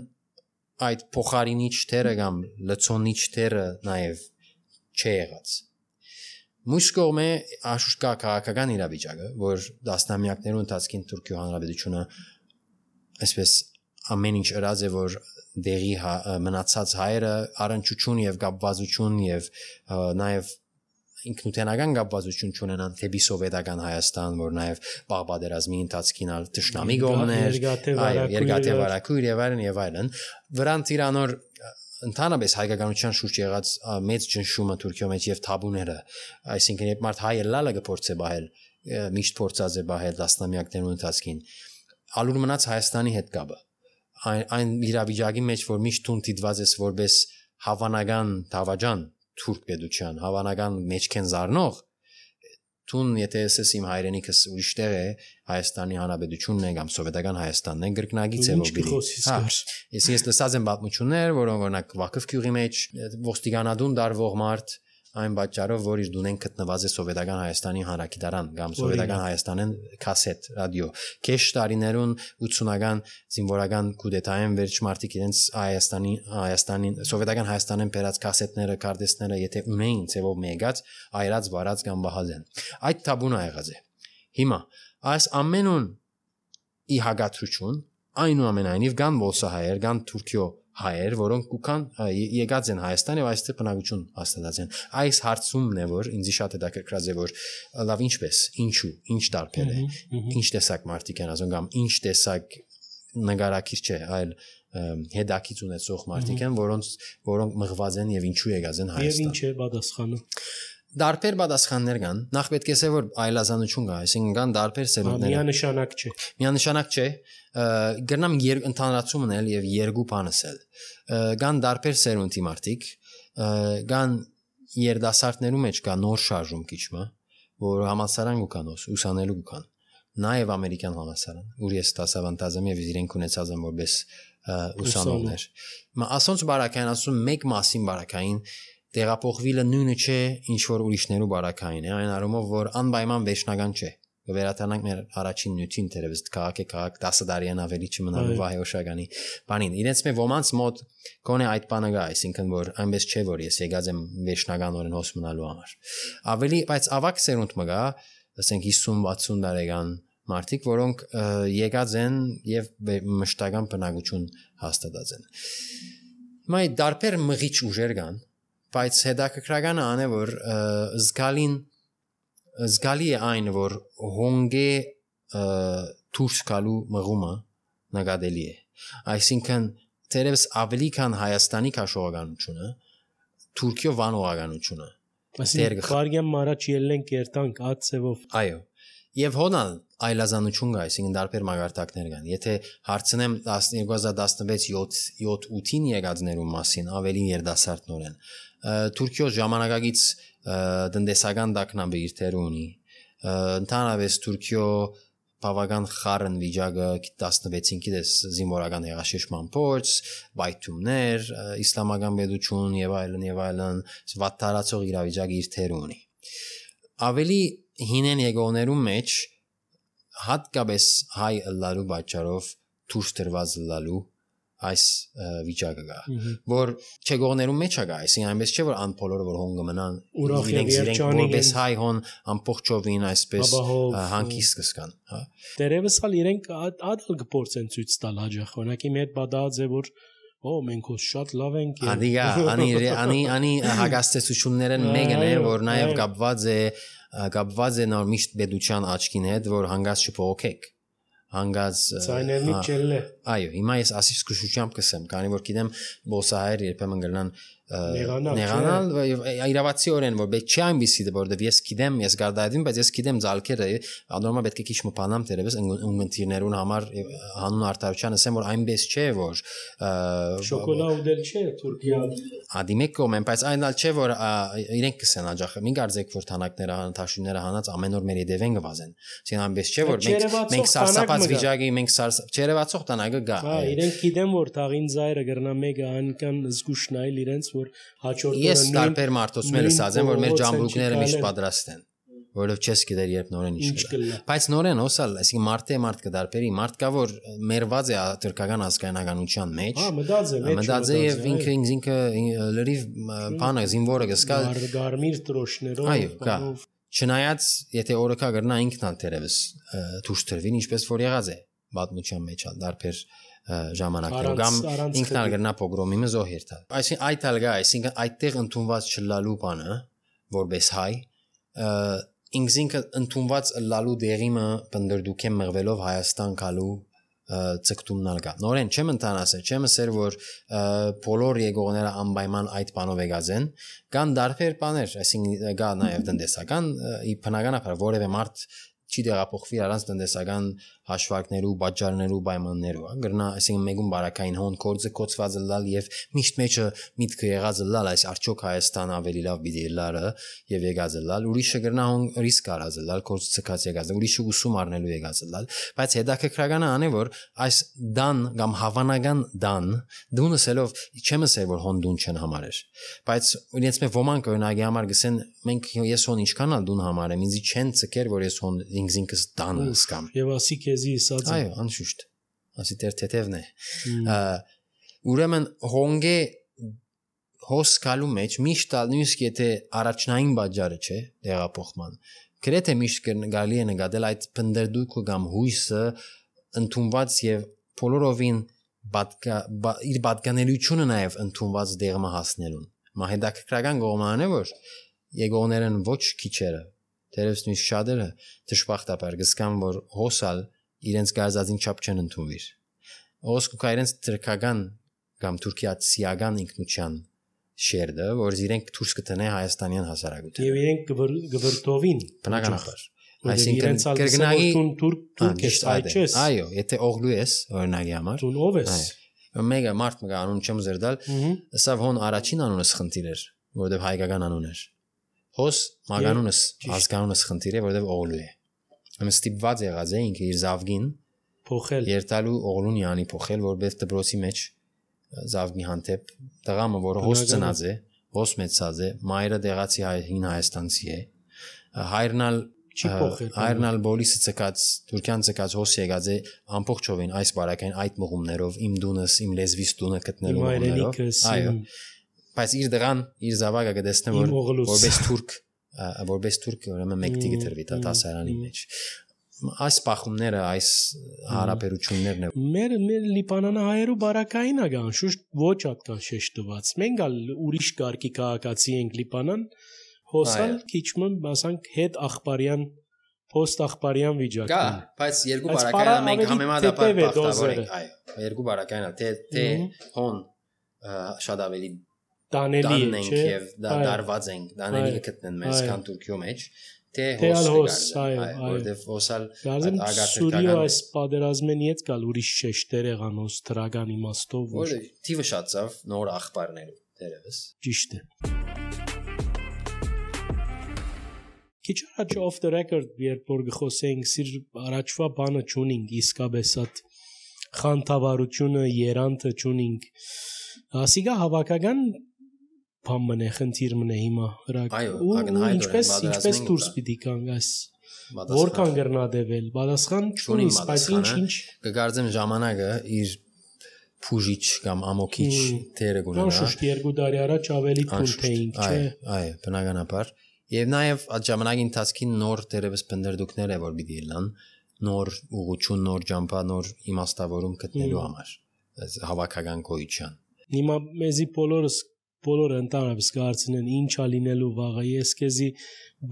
այդ փոխարինիչ թերը կամ լցոնիչ թերը նաեւ չի եղած Մյուս կողմը աշուշկա քաղաքական իրավիճակը, որ դասնամյակներու ընթացքին Թուրքիո Հանրապետությունը այսպես ամեն ինչ ըրած է, որ դեղի մնացած հայերը առնչություն եւ կապվածություն եւ նաեւ ինքնութենական կապվածություն չունենան թեպի սովետական Հայաստան, որ նաեւ բաղբադերազմի ընթացքին ալ տշնամի գոմներ, այո, երկաթե վարակույր եւ այլն եւ այլն, վրանց իրանոր Ընդհանրապես հայկականության շուրջ եղած մեծ ճնշումը Թուրքիո մեջ եւ թաբուները, այսինքն երբ մարդ հայը լալը գործե բահել, միշտ փորձած է բահել դասնամյակներու ընթացքին, ալուր մնաց Հայաստանի հետ կապը։ Այն այն իրավիճակի մեջ, որ միշտ տուն դիտված ես որպես հավանական դավաճան թուրք պետության, հավանական մեջքեն զառնող, տուն եթե ես իմ հայրենիքս ուրիշ տեղ է, Հայաստանի Հանրապետությունն է կամ սովետական Հայաստանն է գրկնագից է ոգի։ Հա, ես ես լսած եմ պատմություններ, որոնք օրինակ Վակֆ գյուղի մեջ ոստիկանադուն դարվող մարդ այն պատճառով, որ իր դունեն գտնված է սովետական Հայաստանի հանրագիտարան կամ սովետական Հայաստանեն կասետ ռադիո։ Քեշ տարիներուն ութսունական զինվորական կուդետային վերջ մարդիկ իրենց Հայաստանի Հայաստանին սովետական Հայաստանեն բերած կասետները, կարտեստները, եթե ունեին ծևով մեգած, այրած, վարած կամ բահազեն։ Այդ թաբուն ա եղած է։ Հիմա այս ամենուն ի հագատրություն այնուամենայնիվ կան ոսահայեր, կան Թուրքիո հայեր, որոնք կուքան եկած են Հայաստան եւ այստեղ բնակություն հաստատած են։ Այս հարցումն է, որ ինձ շատ հետաքրքրած է, որ լավ ինչպես, ինչու, ինչ տարբեր է, ինչ տեսակ մարդիկ են ասում կամ ինչ տեսակ նկարակիր չէ, այլ հետաքից ունեցող մարդիկ են, որոնց որոնք մղված են եւ ինչու եկած են Հայաստան։ Եվ ինչ է պատասխանը։ Դարբեր պատասխաններ կան։ Նախ պետք է ասել, որ այլազանություն կա, այսինքն կան դարբեր սերունդներ։ Միանշանակ չէ։ Միանշանակ չէ։ Գրնամ ընդհանրացումն էլ եւ երկու բանս էլ։ Կան դարբեր սերունդի մարդիկ, կան երդասարտներու մեջ կա նոր շարժում քիչմա, որ համալսարան կան, ուսանելու կան։ Նաեւ ամերիկյան համալսարան, ուր ես դասավանդած եմ եւ իրենք ունեցած եմ որպես ուսանողներ։ Մա ասոնց բարակային ասում մեկ մասին բարակային տեղափոխվելը նույնը չէ, ինչ որ ուրիշներու բարակային է, այն առումով, որ անպայման վերջնական չէ։ Կվերադառնանք մեր առաջին նյութին, դերևս քաղաք է քաղաք դասը դարիան ավելի չմնալու վահեոշականի բանին։ Իրենց մե ոմանց մոտ կոնե այդ բանը գա, այսինքն որ այնպես չէ, որ ես եկած եմ վերջնականորեն հոս մնալու համար։ Ավելի, բայց ավակ սերունդ մը գա, ասենք հիսուն-վաթսուն տարեկան մարդիկ, որոնք եկած են եւ մշտական բնակություն հաստատած են։ Մայ դարբեր մղիչ ուժեր կան բայց հետաքրքրականը ան է որ զգալին զգալի է այն որ հոնգե դուրս գալու մղումը նկատելի է այսինքն դերևս ավելի քան Հայաստանի քաշողականությունը Թուրքիո վանողականությունը այսինքն կարիգեմ առաջ ելնենք երտանք ածևով այո եւ հոնալ այլազանություն կա այսինքն դարբեր մագարտակներ կան եթե հարցնեմ երկու հազար տասնվեց յոթ ութին եկածներու մասին ավելի երդասարտնորեն Թուրքիո ժամանակակից տնտեսական դակնաբը իր թերը ունի ընդհանրապես Թուրքիո բավական խառն վիճակը տասնվեցին գիտես զինվորական հեղաշրջման փորձ, բայթումներ, իսլամական պետություն եւ այլն եւ այլն, վատթարացող իրավիճակը իր թերը ունի։ Ավելի հինեն եկողներու մեջ հատկապես հայ ըլլալու պատճառով դուրս դրված ըլլալու այս վիճակը կա որ չեկողներու մեջ է գա այսինքն այնպես չէ որ անփոլորը որ հոն կմնան իրենք իրենք որպես հայ հոն ամբողջովին այսպես հանգիստ կսկան հա դերևս ալ իրենք ադալ կփորձեն ցույց տալ հաջող օրինակի մեր բադած է որ օ մենք հոս շատ լավ ենք ադիգա անի անի անի հագաստեցություններն մեկն է որ նաև կապված է կապված է նոր միշտ պետության աչքին հետ որ հանգած չփողոքեք հանգած ցայներնի չելլե այո հիմա ես ասի սկսուշությամբ կսեմ քանի որ գիտեմ բոսահայեր երբեմն գնան նեղանալ իրավացիորեն որ պետք չի այնպեսի որովհետև ես գիտեմ ես գարդայդին բայց ես գիտեմ ցալքերը անորմալ պետք է քիչ մփանամ դերևս ունգընտիրներուն համար հանուն արտարության ասեմ որ այնպես չէ որ շոկոլադել չէ Թուրքիա ադիմեկոմ են բայց այնալ չէ որ իրենք կսեն աջախ մի գարձեք որ թանակները հանտաշինները հանած ամեն օր մեր եդևեն գվազեն ասեն այնպես չէ որ մենք մենք սարսափած վիճակի մենք չերևացող տանակը գա հա իրենք գիտեմ որ թաղին զայրը գրնա մեկը անքան զգուշնայել իրենց որ հաջորդ օրը ես տարբեր մարդոց մեր ասած եմ որ մեր ջամբուկները միշտ պատրաստ են որովհետև չես գիտեր երբ նորեն ինչ կլա բայց նորեն հոսալ այսինքն մարտե մարդ կդարբերի մարդ կա որ մերված է թուրքական ազգայնականության մեջ հա մտած է մտած է եւ ինքը ինքը լրիվ բանը զինվորը գսկա գարմիր տրոշներով այո կա չնայած եթե օրը կա գրնա ինքն ալ դերևս դուրս դրվին ինչպես որ եղած է պատմության մեջ ալ դարբեր ժամանակներում կամ ինքն ալ գրնա պոգրոմի մզոհեր տալ այսինքն այդ ալ գա այսինքն այդտեղ ընդունված չլալու բանը որպես հայ ինքնին ընդունված լալու դերիմը բնդրդուքեմ մղվելով Հայաստան գալու ցկտումնալ կա նորեն չեմ ընտանասը չեմ ասեր որ բոլոր եկողները անպայման այդ բանով եկած են կան դարբեր բաներ այսինքն գա նաև տնտեսական բնականաբար որևէ մարդ չի դեղափոխվի առանց տնտեսական հաշվարկներու, բաժարներու, պայմաններու, գրնա, այսինքն մեգուն բարակային հոն կորձը կոծված լալ եւ միշտ մեջը միտքը եղած լալ, այս արդյոք Հայաստան ավելի լավ պիտի լարը եւ եկած լալ, ուրիշը գրնա հոն ռիսկ արած լալ, կորձ ցկած եկած, ուրիշը ուսում առնելու եկած լալ, բայց հետաքրքրականը ան է որ այս դան կամ հավանական դան դունսելով չեմ ասել որ հոն դուն չեն համարեր, բայց իրենց մե ոմանք օրինակի համար գսեն մենք ես հոն ինչքան ալ դուն համարեմ, ինձ չեն ցկեր որ ես հոն ինքնինքս դան սկամ եւ ասի քեզի ասած այո անշուշտ ասի դեր թեթևն է ուրեմն հոնգե հոսկալու մեջ միշտ նույնիսկ եթե առաջնային բաժարը չէ դեղափոխման գրեթե միշտ գալի է նկատել այդ բնդերդուկը կամ հույսը ընդունված եւ բոլորովին բադկա իր բադկանելիությունը նաեւ ընդունված դեղմը հասնելուն մահեդակրական կողմանը որ եկողներն ոչ քիչերը դերևս նույնիսկ շատերը դժբախտաբար գսկան որ հոսալ իրենց գազազին չափ չեն ընդունվիր ոսկուկա իրենց թրքական կամ թուրքիացիական ինքնության շերդը որ իրենք դուրս կտնե հայաստանյան հասարակություն եւ իրենք գվրտովին բնականաբար այսինքն կրգնայի թուրք ես այչես այո եթե օղլու ես օրինակի համար դու ով ես մեգա մարդ մգա անուն չեմ զերդալ սա հոն առաջին անունս խնդիր էր որովհետեւ հայկական անուն էր հոս մագանունս ազգանունս խնդիր է որովհետեւ օղլու է ըմ ստիպված եղած է ինքը իր զավգին փոխել երտալու օղլուն յանի փոխել որովհետեւ դբրոցի մեջ զավգի հանդեպ տղամը որը հոս ծնած է հոս մեծած է մայրը դեղացի հին հայաստանցի է հայրնալ չի փոխել հայրնալ բոլիսը ցկած թուրքյան ցկած հոս եկած է ամբողջովին այս բարակային այդ մղումներով իմ դունս իմ լեզվիս դունը գտնելու մղումներով այո բայց իր դրան իր զավակը կդեսնե որ որպես թուրք որպես թուրք ուրեմն մեկտի գտրվի դա դասարանի մեջ այս պախումները, այս հարաբերություններն է։ Մեր մեր լիբանանահայերու բարակային ագան շուտ ոչ ատկան շեշտված։ Մենք ալ ուրիշ կարգի քաղաքացի ենք Լիբանան, հոսալ քիչմն ասանք հետ աղբարյան post աղբարյան վիճակն։ Գա, բայց երկու բարակայինը մենք համեմատաբար բախտավոր ենք, այո։ Երկու բարակայինը թե թե հոն շատ ավելի տանելի է, չէ՞։ Եվ դարված ենք, դանելի կգտնեն մեզ քան Թուրքիո մեջ, թե հոս, այո, որտեվ հոսալ ագարտական այս պատերազմեն իդ կալ ուրիշ շեշտեր եղանոց դրական իմաստով, որ թիվը շատավ նոր աղբարներու դերևս։ Ճիշտ է։ Քիչ առաջ off the record երբ որ գխոսեինք սիր առաջվա բանը ճունինգ իսկապես այդ խանթավարությունը երանտը ճունինգ ասիգա հավաքական բան մնե խնդիր մնե հիմա ու ինչպես ինչպես դուրս պիտի կանգ այս որքան գրնադեվել պատասխան ճունի բայց ինչ ինչ կգարձեմ ժամանակը իր փուժիչ կամ ամոքիչ թերը գունենա անշուշտ երկու տարի առաջ ավելի թույլ թեինք չէ այո բնականաբար եւ նաեւ այդ ժամանակի ընթացքին նոր դերևս բնդերդուկներ է որ պիտի լան նոր ուղղություն նոր ջամփա նոր իմաստավորում գտնելու համար հավաքական գոյության հիմա մեզի բոլորս բոլորը ընդհանրապես կարծեն ինչ ա լինելու վաղը ես քեզի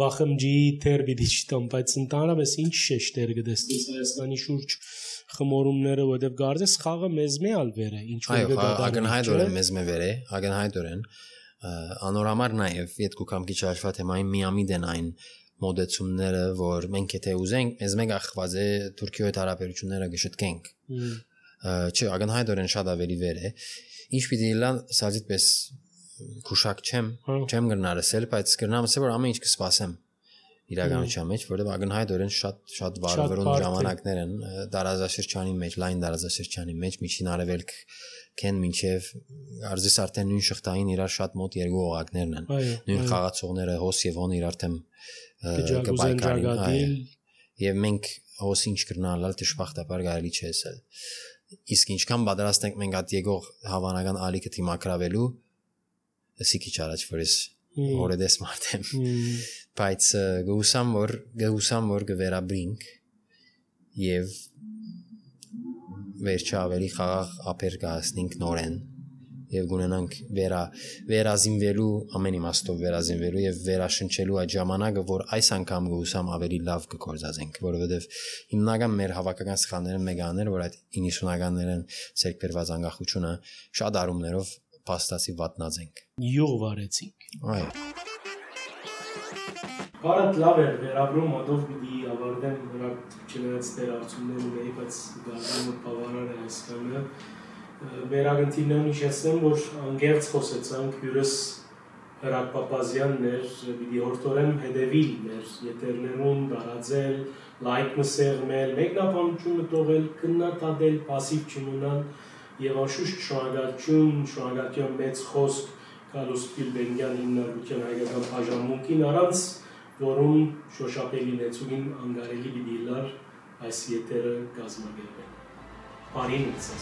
բախմջի թեր պիտի չտամ բայց ընդհանրապես ինչ շեշտեր գտես Հայաստանի շուրջ խմորումները որտեվ գարձես խաղը մեզ մի ալվեր է ինչ որ դա ագնահայտորեն մեզ մի վեր է ագնահայտորեն անորամար նաև յետքու կամ քիչ հաշվա թեմային միամիտ են այն մոդեցումները որ մենք եթե ուզենք մեզ մեկ ախված է Թուրքիո հետ հարաբերությունները գշտկենք չէ ագնահայտորեն շատ ավելի վեր է ինչ պիտի լան սազիտպես քուշակ չեմ չեմ գնարսել բայց կգնամ ասել որ ամեն ինչ կսպասեմ իրականության մեջ որովհետև ագնահայտորեն շատ շատ վարվերուն ժամանակներ են դարազաշրջանի մեջ լայն դարազաշրջանի մեջ միջին արևելք կեն մինչև արձիս արդեն նույն շղթային իրար շատ մոտ երկու օղակներն են նույն խաղացողները հոս եւ հոն իրար թեմ կբայքարին եւ մենք հոս ինչ կրնալալ դժբախտաբար կարելի չէ ասել իսկ ինչքան պատրաստ ենք մենք այդ եկող հավանական ալիքը թիմակրավելու ասի քիչ առաջ որս օրեդես մարտեմ բայց գուսամ որ գուսամ որ գվերաբրինք եւ վերջը ավելի խաղաղ ապեր կհասնենք նորեն եւ գունենանք վերա վերազինվելու ամեն իմաստով վերազինվելու եւ վերաշնչելու այդ ժամանակը որ այս անգամ գուսամ ավելի լավ կգործածենք որովհետեւ հիմնական մեր հավաքական սխալները մեգաներ որ այդ իննիսունականներն ցերկերված անկախությունը շատ արումներով փաստացի վատնած ենք յուղ վարեցինք այո Բարդ լավ էր վերաբրում ադով պիտի ավարտեմ նրա չնայած դեր արցումներն ունեի բայց գարնումը բավարար է այսքանը վերագնտինն իջեցնեմ որ անգերց խոսեցանք հյուրս Հրաք Պապազյանն էր պիտի հորտորեմ հետևիլ մեր եթերներուն դարաձել լայք մսեղմել մեկնաբանությունը տողել քննադատել пассив չմնալ եւ անշուշտ շնորհակալություն շնորհակալություն մեծ խոսք Կարլոս Պիլբենգյան հիմնարկության հայկական բաժանմունքին առանց որում շոշափելի նեցուգին անգարելի պիտի լար այս եթերը կազմակերպել։ Բարին ինձ